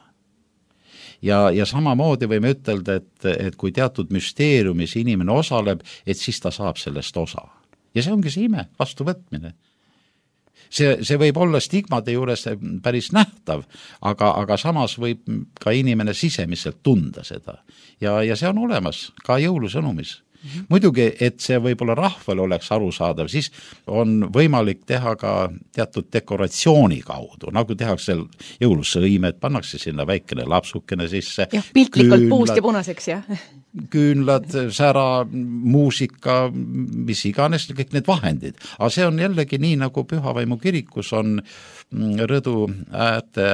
Speaker 4: Ja, ja samamoodi võime ütelda, et, et kui teatud müsteeriumis inimene osaleb, et siis ta saab sellest osa. Ja see ongi see ime, vastuvõtmine. See, see võib olla stigmade juures päris nähtav, aga, aga samas võib ka inimene sisemiselt tunda seda. Ja, ja see on olemas ka jõulusõnumis. Mm-hmm. Muidugi, et see võib-olla rahvale oleks arusaadav, siis on võimalik teha ka teatud dekoratsiooni kaudu, nagu tehakse jõulusõimed, pannakse sinna väikene lapsukene sisse.
Speaker 6: Jah, piltlikult puust ja punaseks, jah.
Speaker 4: Küünlad, sära, muusika, mis iganes, kõik need vahendid. Aga see on jällegi nii, nagu Pühavaimu kirikus on rõdu äärte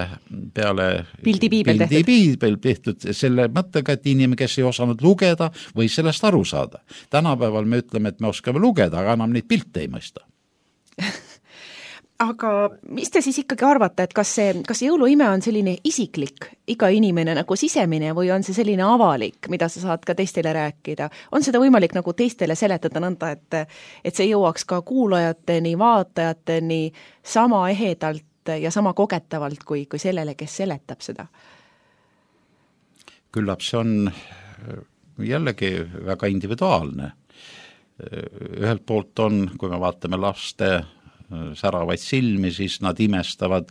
Speaker 4: peale
Speaker 6: pildipiibel
Speaker 4: pildi piibel tehtud selle mõttega, et inimene, kes ei osanud lugeda, või sellest aru saada. Tänapäeval me ütleme, et me oskame lugeda, aga enam neid pilte ei mõista.
Speaker 6: Aga mis te siis ikkagi arvate, et kas see, kas jõuluime on selline isiklik, iga inimene nagu sisemine või on see selline avalik, mida sa saad ka teistele rääkida? On seda võimalik nagu teistele seletada nõnda, et, et see jõuaks ka kuulajateni, vaatajateni sama ehedalt ja sama kogetavalt kui, kui sellele, kes seletab seda?
Speaker 4: Küllap see on jällegi väga individuaalne. Ühelt poolt on, kui me vaatame laste säravaid silmi, siis nad imestavad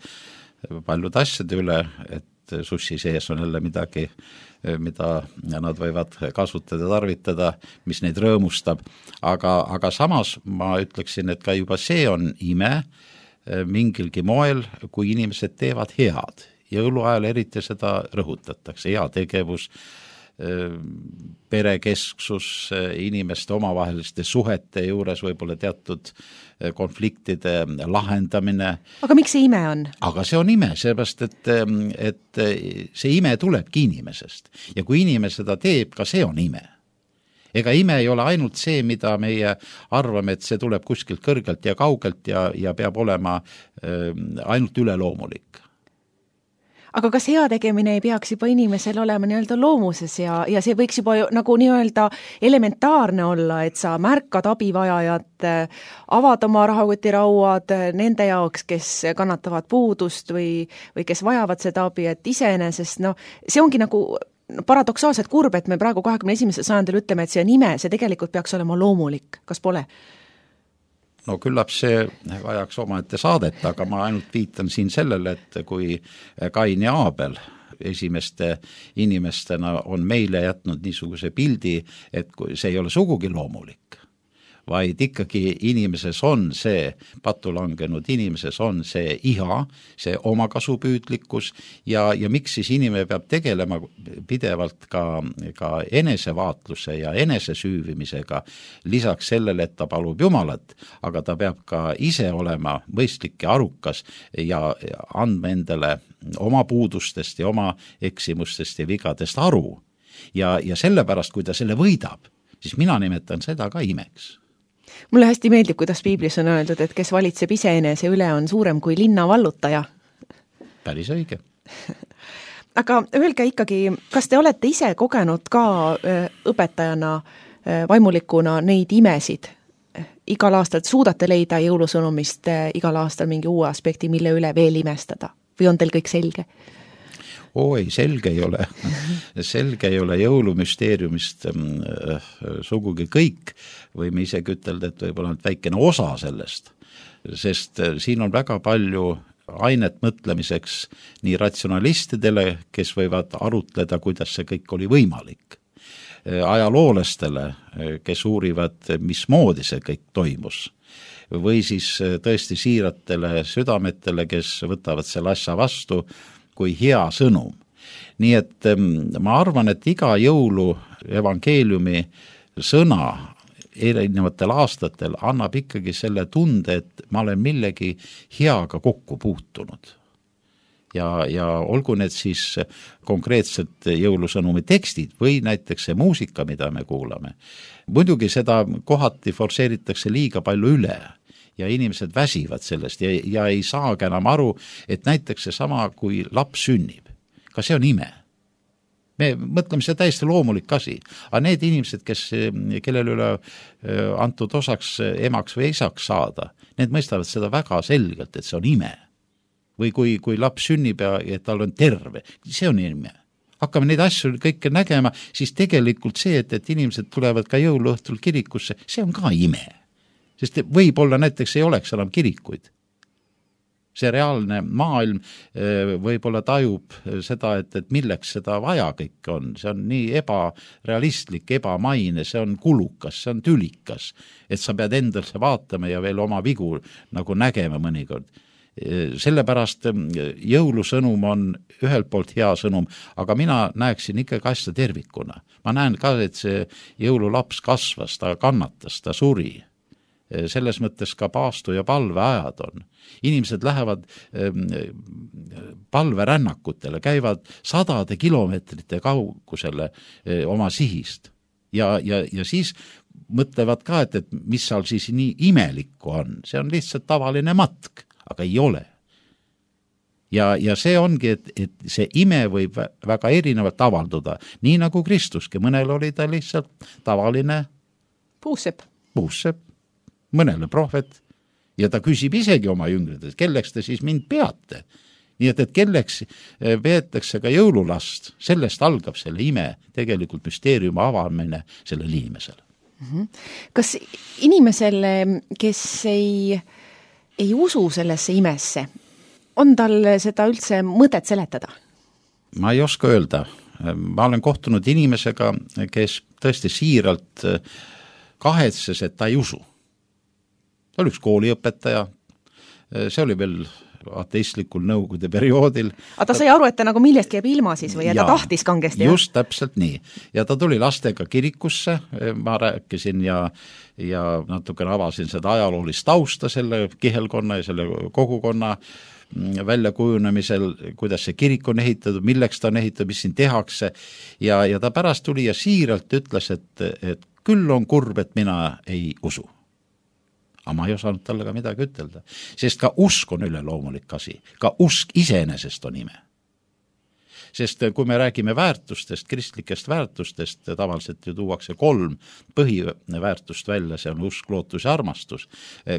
Speaker 4: paljud asjade üle, et sussi sees on jälle midagi, mida nad võivad kasutada, tarvitada, mis neid rõõmustab. Aga, aga samas ma ütleksin, et ka juba see on ime mingilgi moel, kui inimesed teevad head. Jõuluajal eriti seda rõhutatakse, hea tegevus, perekesksus, inimeste omavaheliste suhete juures võib-olla teatud konfliktide lahendamine.
Speaker 6: Aga miks see ime on?
Speaker 4: Aga see on ime, seepärast, et, et see ime tulebki inimesest. Ja kui inimene seda teeb, ka see on ime. Ega ime ei ole ainult see, mida meie arvame, et see tuleb kuskilt kõrgelt ja kaugelt ja, ja peab olema ainult üleloomulik.
Speaker 6: Aga kas hea tegemine ei peaks juba inimesel olema nii-öelda loomuses ja, ja see võiks juba nagu nii-öelda elementaarne olla, et sa märkad abivajajat, avad oma rahakotirauad nende jaoks, kes kannatavad puudust või, või kes vajavad seda abi, et iseenesest, no see ongi nagu paradoksaalselt kurb, et me praegu kahekümne esimesel sajandil ütleme, et see on ime, see tegelikult peaks olema loomulik, kas pole?
Speaker 4: No küllap see vajaks omaette saadet, aga ma ainult viitan siin sellele, et kui Kain ja Aabel esimeste inimestena on meile jätnud niisuguse pildi, et see ei ole sugugi loomulik, vaid ikkagi inimeses on see, patulangenud inimeses on see iha, see omakasupüüdlikkus ja, ja miks siis inimene peab tegelema pidevalt ka, ka enesevaatluse ja enesesüüvimisega, lisaks sellele, et ta palub Jumalat, aga ta peab ka ise olema mõistlik ja arukas ja andma endale oma puudustest ja oma eksimustest ja vigadest aru. Ja, ja sellepärast, kui ta selle võidab, siis mina nimetan seda ka imeks.
Speaker 6: Mulle hästi meeldib, kuidas piiblis on öeldud, et kes valitseb iseenese üle, on suurem kui linna vallutaja.
Speaker 4: Päris õige.
Speaker 6: Aga öelge ikkagi, kas te olete ise kogenud ka õpetajana, vaimulikuna neid imesid? Igal aastal suudate leida jõulusõnumist igal aastal mingi uue aspekti, mille üle veel imestada? Või on teil kõik selge?
Speaker 4: Oo, ei, selge ei ole. Selge ei ole jõulumüsteeriumist sugugi kõik, võime isegi ütelda, et võib-olla väikene osa sellest, sest siin on väga palju ainet mõtlemiseks nii ratsionalistidele, kes võivad arutleda, kuidas see kõik oli võimalik. Ajaloolestele, kes uurivad, mismoodi see kõik toimus. Või siis tõesti siiratele südametele, kes võtavad selle asja vastu, kui hea sõnum. Nii et ma arvan, et iga jõulu evangeeliumi sõna erinevatel aastatel annab ikkagi selle tunde, et ma olen millegi heaga kokku puutunud. Ja, ja olgu need siis konkreetselt jõulusõnumi tekstid või näiteks see muusika, mida me kuulame. Muidugi seda kohati forseeritakse liiga palju üle ja inimesed väsivad sellest ja, ja ei saagi enam aru, et näiteks see sama, kui laps sünnib, ka see on ime. Me mõtleme, see täiesti loomulik asi, aga need inimesed, kes, kellel üle antud osaks emaks või isaks saada, need mõistavad seda väga selgelt, et see on ime. Või kui, kui laps sünnib ja, ja tal on terve, see on ime. Hakkame neid asju kõike nägema, siis tegelikult see, et, et inimesed tulevad ka jõuluõhtul kirikusse, see on ka ime. Sest võib-olla näiteks ei oleks enam kirikuid. See reaalne maailm võib-olla tajub seda, et, et milleks seda vaja kõik on. See on nii ebarealistlik, ebamaine, see on kulukas, see on tülikas, et sa pead endalse vaatama ja veel oma vigu nagu nägema mõnikord. Sellepärast jõulusõnum on ühelt poolt hea sõnum, aga mina näeksin ikkagi asja tervikuna. Ma näen ka, et see jõululaps kasvas, ta kannatas, ta suri. Selles mõttes ka paastu ja palveajad on. Inimesed lähevad palverännakutele, käivad sadade kilomeetrite kaugusele oma sihist ja, ja, ja siis mõtlevad ka, et, et mis seal siis nii imelikku on. See on lihtsalt tavaline matk, aga ei ole. Ja, ja see ongi, et, et see ime võib väga erinevalt avalduda, nii nagu Kristuski. Mõnel oli ta lihtsalt tavaline
Speaker 6: puusepp,
Speaker 4: puusepp, mõnele prohvet ja ta küsib isegi oma jüngrides, kelleks te siis mind peate. Nii et, et kelleks peetakse ka jõululast, sellest algab selle ime, tegelikult müsteeriumi avamine sellele inimesele.
Speaker 6: Kas inimesele, kes ei, ei usu sellesse imesse, on tal seda üldse mõtet seletada?
Speaker 4: Ma ei oska öelda. Ma olen kohtunud inimesega, kes tõesti siiralt kahetses, et ta ei usu. Ta oli üks kooliõpetaja, see oli veel ateistlikul nõukogude perioodil.
Speaker 6: Aga ta sai aru, et ta nagu millestki jääb ilma siis või ja, ja ta tahtis kangesti?
Speaker 4: Just täpselt nii. Ja ta tuli lastega kirikusse, ma rääkisin ja, ja natukene avasin seda ajaloolist tausta selle kihelkonna ja selle kogukonna välja kujunemisel, kuidas see kirik on ehitatud, milleks ta on ehitatud, mis siin tehakse ja, ja ta pärast tuli ja siiralt ütles, et, et küll on kurb, et mina ei usu. Aga ma ei osanud talle ka midagi ütelda, sest ka usk on üle loomulik asi, ka usk iseenesest on ime. Sest kui me räägime väärtustest, kristlikest väärtustest, tavaliselt ju tuuakse kolm põhiväärtust välja, see on usk, lootus ja armastus,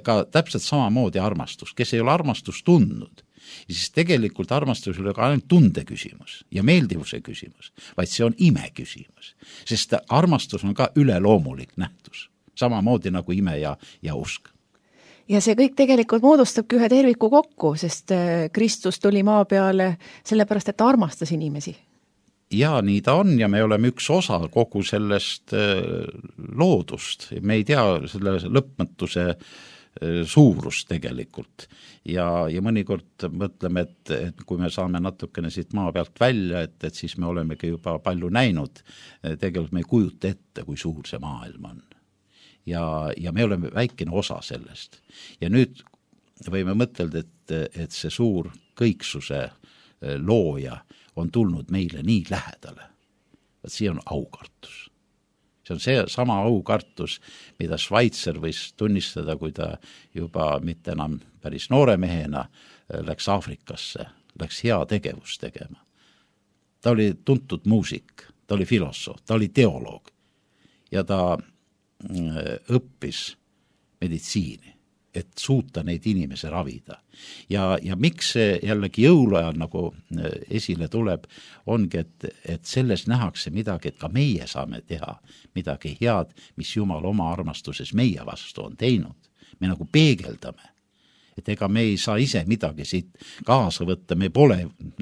Speaker 4: ka täpselt samamoodi armastus, kes ei ole armastust tundnud, siis tegelikult armastus ei ole ka ainult tunde küsimus ja meeldivuse küsimus, vaid see on ime küsimus, sest armastus on ka üle loomulik nähtus, samamoodi nagu ime ja, ja usk.
Speaker 6: Ja see kõik tegelikult moodustabki ühe terviku kokku, sest Kristus tuli maa peale sellepärast, et ta armastas inimesi.
Speaker 4: Ja nii ta on ja me oleme üks osa kogu sellest loodust. Me ei tea selle lõpmatuse suurust tegelikult. Ja, ja mõnikord mõtleme, et, et kui me saame natukene siit maa pealt välja, et, et siis me olemegi juba palju näinud. Tegelikult me ei kujuta ette, kui suur see maailm on. Ja, ja me oleme väikene osa sellest. Ja nüüd võime mõtelda, et, et see suur kõiksuse looja on tulnud meile nii lähedale. Et see on aukartus. See on see sama aukartus, mida Schweitzer võis tunnistada, kui ta juba mitte enam päris noore mehena läks Aafrikasse, läks hea tegevust tegema. Ta oli tuntud muusik, ta oli filosoof, ta oli teoloog ja ta õppis meditsiini, et suuta neid inimese ravida. Ja, ja miks see jällegi jõuluajal nagu esile tuleb, ongi, et, et selles nähakse midagi, et ka meie saame teha midagi head, mis Jumal oma armastuses meie vastu on teinud. Me nagu peegeldame. Et ega me ei saa ise midagi siit kaasa võtta, me pole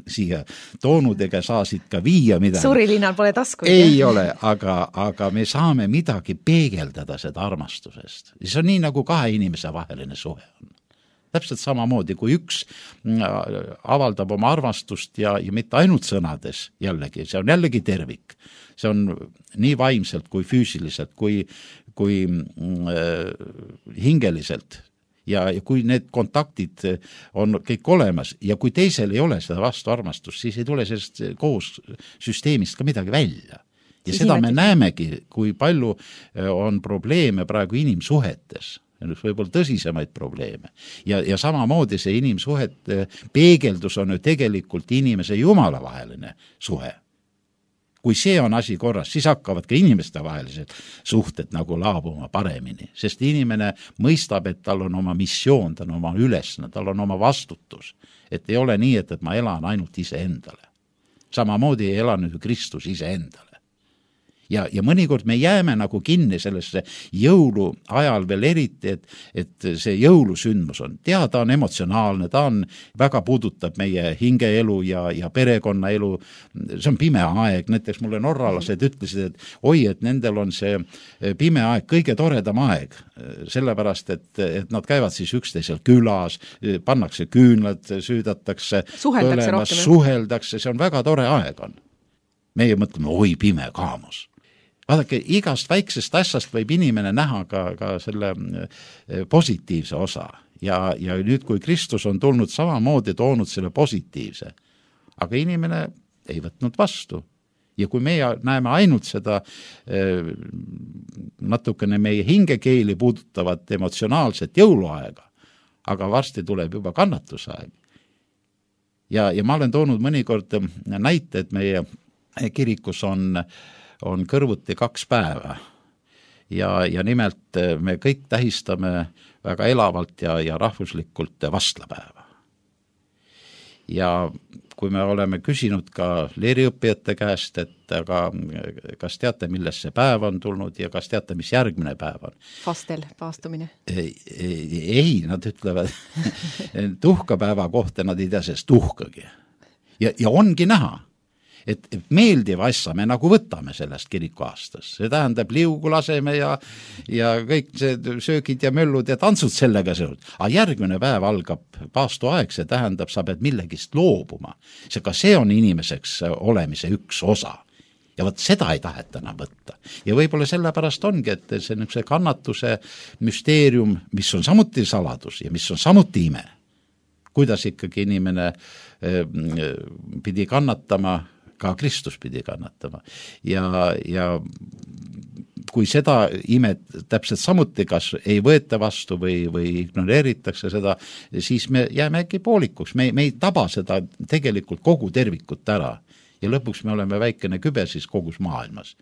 Speaker 4: siia toonud ega saa siit ka viia midagi.
Speaker 6: Suurilinal pole taskuid.
Speaker 4: Ei jah? Ole, aga, aga me saame midagi peegeldada seda armastusest. See on nii, nagu kahe inimese vaheline suhe on. Täpselt samamoodi, kui üks avaldab oma armastust ja, ja mitte ainult sõnades jällegi, see on jällegi tervik. See on nii vaimselt kui füüsiliselt, kui, kui äh, hingeliselt. Ja, ja kui need kontaktid on kõik olemas ja kui teisel ei ole seda vastu armastust, siis ei tule sellest koos süsteemist ka midagi välja. Ja siis seda me näemegi, kui palju on probleeme praegu inimsuhetes. üks võib-olla tõsisemaid probleeme. Ja, ja samamoodi see inimsuhete peegeldus on ju tegelikult inimese jumala vaheline suhe. Kui see on asi korras, siis hakkavad ka inimeste vahelised suhted nagu laabuma paremini, sest inimene mõistab, et tal on oma missioon, tal on oma ülesne, tal on oma vastutus, et ei ole nii, et, et ma elan ainult ise endale. Samamoodi ei ela nüüd Kristus ise endale. Ja, ja mõnikord me jääme nagu kinni sellesse jõulu ajal veel eriti, et, et see jõulusündmus on, tea, ta on emotsionaalne, ta on, väga puudutab meie hingeelu ja, ja perekonnaelu, see on pime aeg, näiteks mulle norralased ütlesid, et oi, et nendel on see pime aeg kõige toredam aeg, sellepärast, et, et nad käivad siis üksteisel külas, pannakse küünlad, süüdatakse,
Speaker 6: suheldakse rohkem.
Speaker 4: Suheldakse, see on väga tore aeg on. Meie mõtleme, oi, pime kaamus. Vaadake, igast väiksest asjast võib inimene näha ka, ka selle positiivse osa. Ja, ja nüüd, kui Kristus on tulnud samamoodi toonud selle positiivse, aga inimene ei võtnud vastu. Ja kui meie näeme ainult seda natukene meie hingekeeli puudutavat emotsionaalset jõuluaega, aga varsti tuleb juba kannatusaeg. Ja, ja ma olen toonud mõnikord näite, et meie kirikus on on kõrvuti kaks päeva ja, ja nimelt me kõik tähistame väga elavalt ja, ja rahvuslikult vastlapäeva. Ja kui me oleme küsinud ka leeriõppijate käest, et aga kas teate, milles see päev on tulnud ja kas teate, mis järgmine päev on?
Speaker 6: Fastel, paastumine.
Speaker 4: Ei, ei nad ütlevad tuhkapäeva kohta, nad ei tea sellest tuhkagi. Ja, ja ongi näha, et meeldiv asja me nagu võtame sellest kiriku aastas. See tähendab liugu laseme ja, ja kõik see söögid ja möllud ja tantsud sellega seotud. Aga järgmine päev algab paastuaeg, see tähendab, sa pead millegist loobuma. See, ka see on inimeseks olemise üks osa. Ja võt seda ei taheta enam võtta. Ja võib-olla sellepärast ongi, et see, see kannatuse müsteerium, mis on samuti saladus ja mis on samuti ime. Kuidas ikkagi inimene pidi kannatama, ka Kristus pidi kannatama. Ja, ja kui seda imet täpselt samuti kas ei võeta vastu või, või ignoreeritakse seda, siis me jääme äkki poolikuks. Me, me ei taba seda tegelikult kogu tervikut ära. Ja lõpuks me oleme väikene kübe siis kogus maailmas.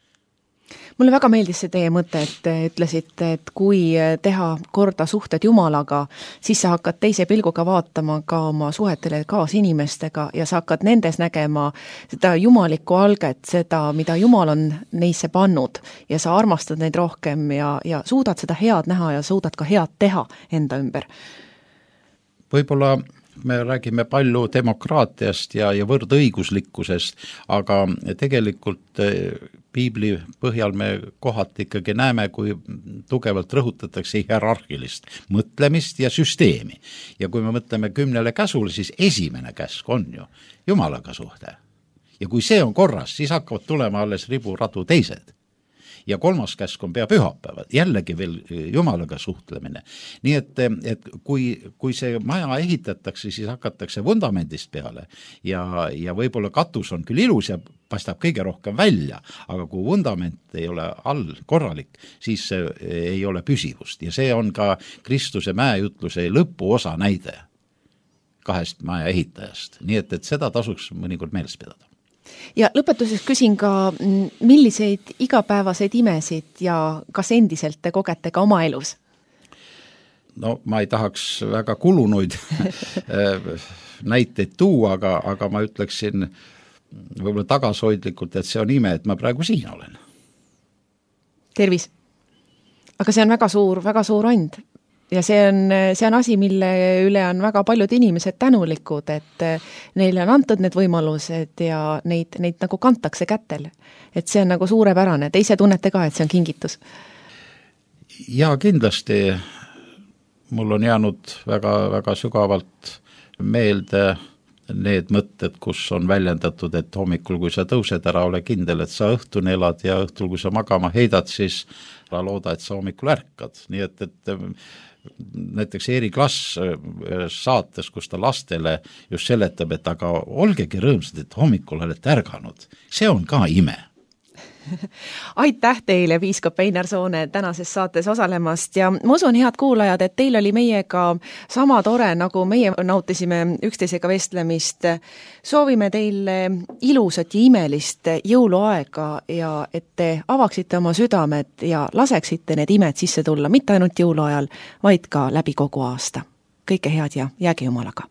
Speaker 6: Mulle väga meeldis see teie mõte, et ütlesite, et kui teha korda suhted Jumalaga, siis sa hakkad teise pilguga vaatama ka oma suhetele kaasinimestega ja sa hakkad nendes nägema seda jumalikku alget, seda, mida Jumal on neisse pannud ja sa armastad neid rohkem ja, ja suudad seda head näha ja suudad ka head teha enda ümber.
Speaker 4: Võib-olla me räägime palju demokraatiast ja, ja võrdõiguslikkusest, aga tegelikult piibli põhjal me kohati ikkagi näeme, kui tugevalt rõhutatakse hierarhilist mõtlemist ja süsteemi. Ja kui me mõtleme kümnele käsule, siis esimene käsk on ju Jumalaga suhte. Ja kui see on korras, siis hakkavad tulema alles riburadu teised. Ja kolmas käsk on pea pühapäevad, jällegi veel Jumalaga suhtlemine. Nii et, et kui, kui see maja ehitatakse, siis hakatakse vundamendist peale ja, ja võib-olla katus on küll ilus ja paistab kõige rohkem välja, aga kui vundament ei ole all korralik, siis ei ole püsivust ja see on ka Kristuse mäejutluse lõpuosa näide kahest maja ehitajast. Nii et, et seda tasuks mõnikord meeles pidada.
Speaker 6: Ja lõpetuseks küsin ka, milliseid igapäevaseid imesid ja kas endiselt te kogete ka oma elus?
Speaker 4: No ma ei tahaks väga kulunuid näiteid tuua, aga, aga ma ütleksin võib-olla tagasoidlikult, et see on ime, et ma praegu siin olen.
Speaker 6: Tervis. Aga see on väga suur, väga suur and. Ja see on, see on asi, mille üle on väga paljud inimesed tänulikud, et neile on antud need võimalused ja neid, neid nagu kantakse kätel. Et see on nagu suurepärane. Te ise tunnete ka, et see on kingitus?
Speaker 4: Ja kindlasti mul on jäänud väga, väga sügavalt meelde need mõtted, kus on väljendatud, et hommikul, kui sa tõused ära, ole kindel, et sa õhtuni elad ja õhtul, kui sa magama heidad, siis ära looda, et sa hommikul ärkad. Nii et, et näiteks Eeri Klass saates, kus ta lastele just seletab, et aga olgegi rõõmsad, et hommikul olete ärganud. See on ka ime.
Speaker 6: aitäh teile, piiskop Einar Soone, tänases saates osalemast ja ma usun, head kuulajad, et teil oli meiega sama tore, nagu meie nautisime üksteisega vestlemist. Soovime teile ilusat ja imelist jõuluaega ja et te avaksite oma südamed ja laseksite need imed sisse tulla, mitte ainult jõuluajal, vaid ka läbi kogu aasta. Kõike head ja jääge Jumalaga!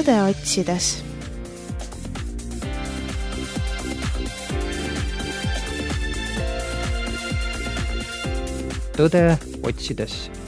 Speaker 2: Tõde otsides.
Speaker 3: Tõde otsides.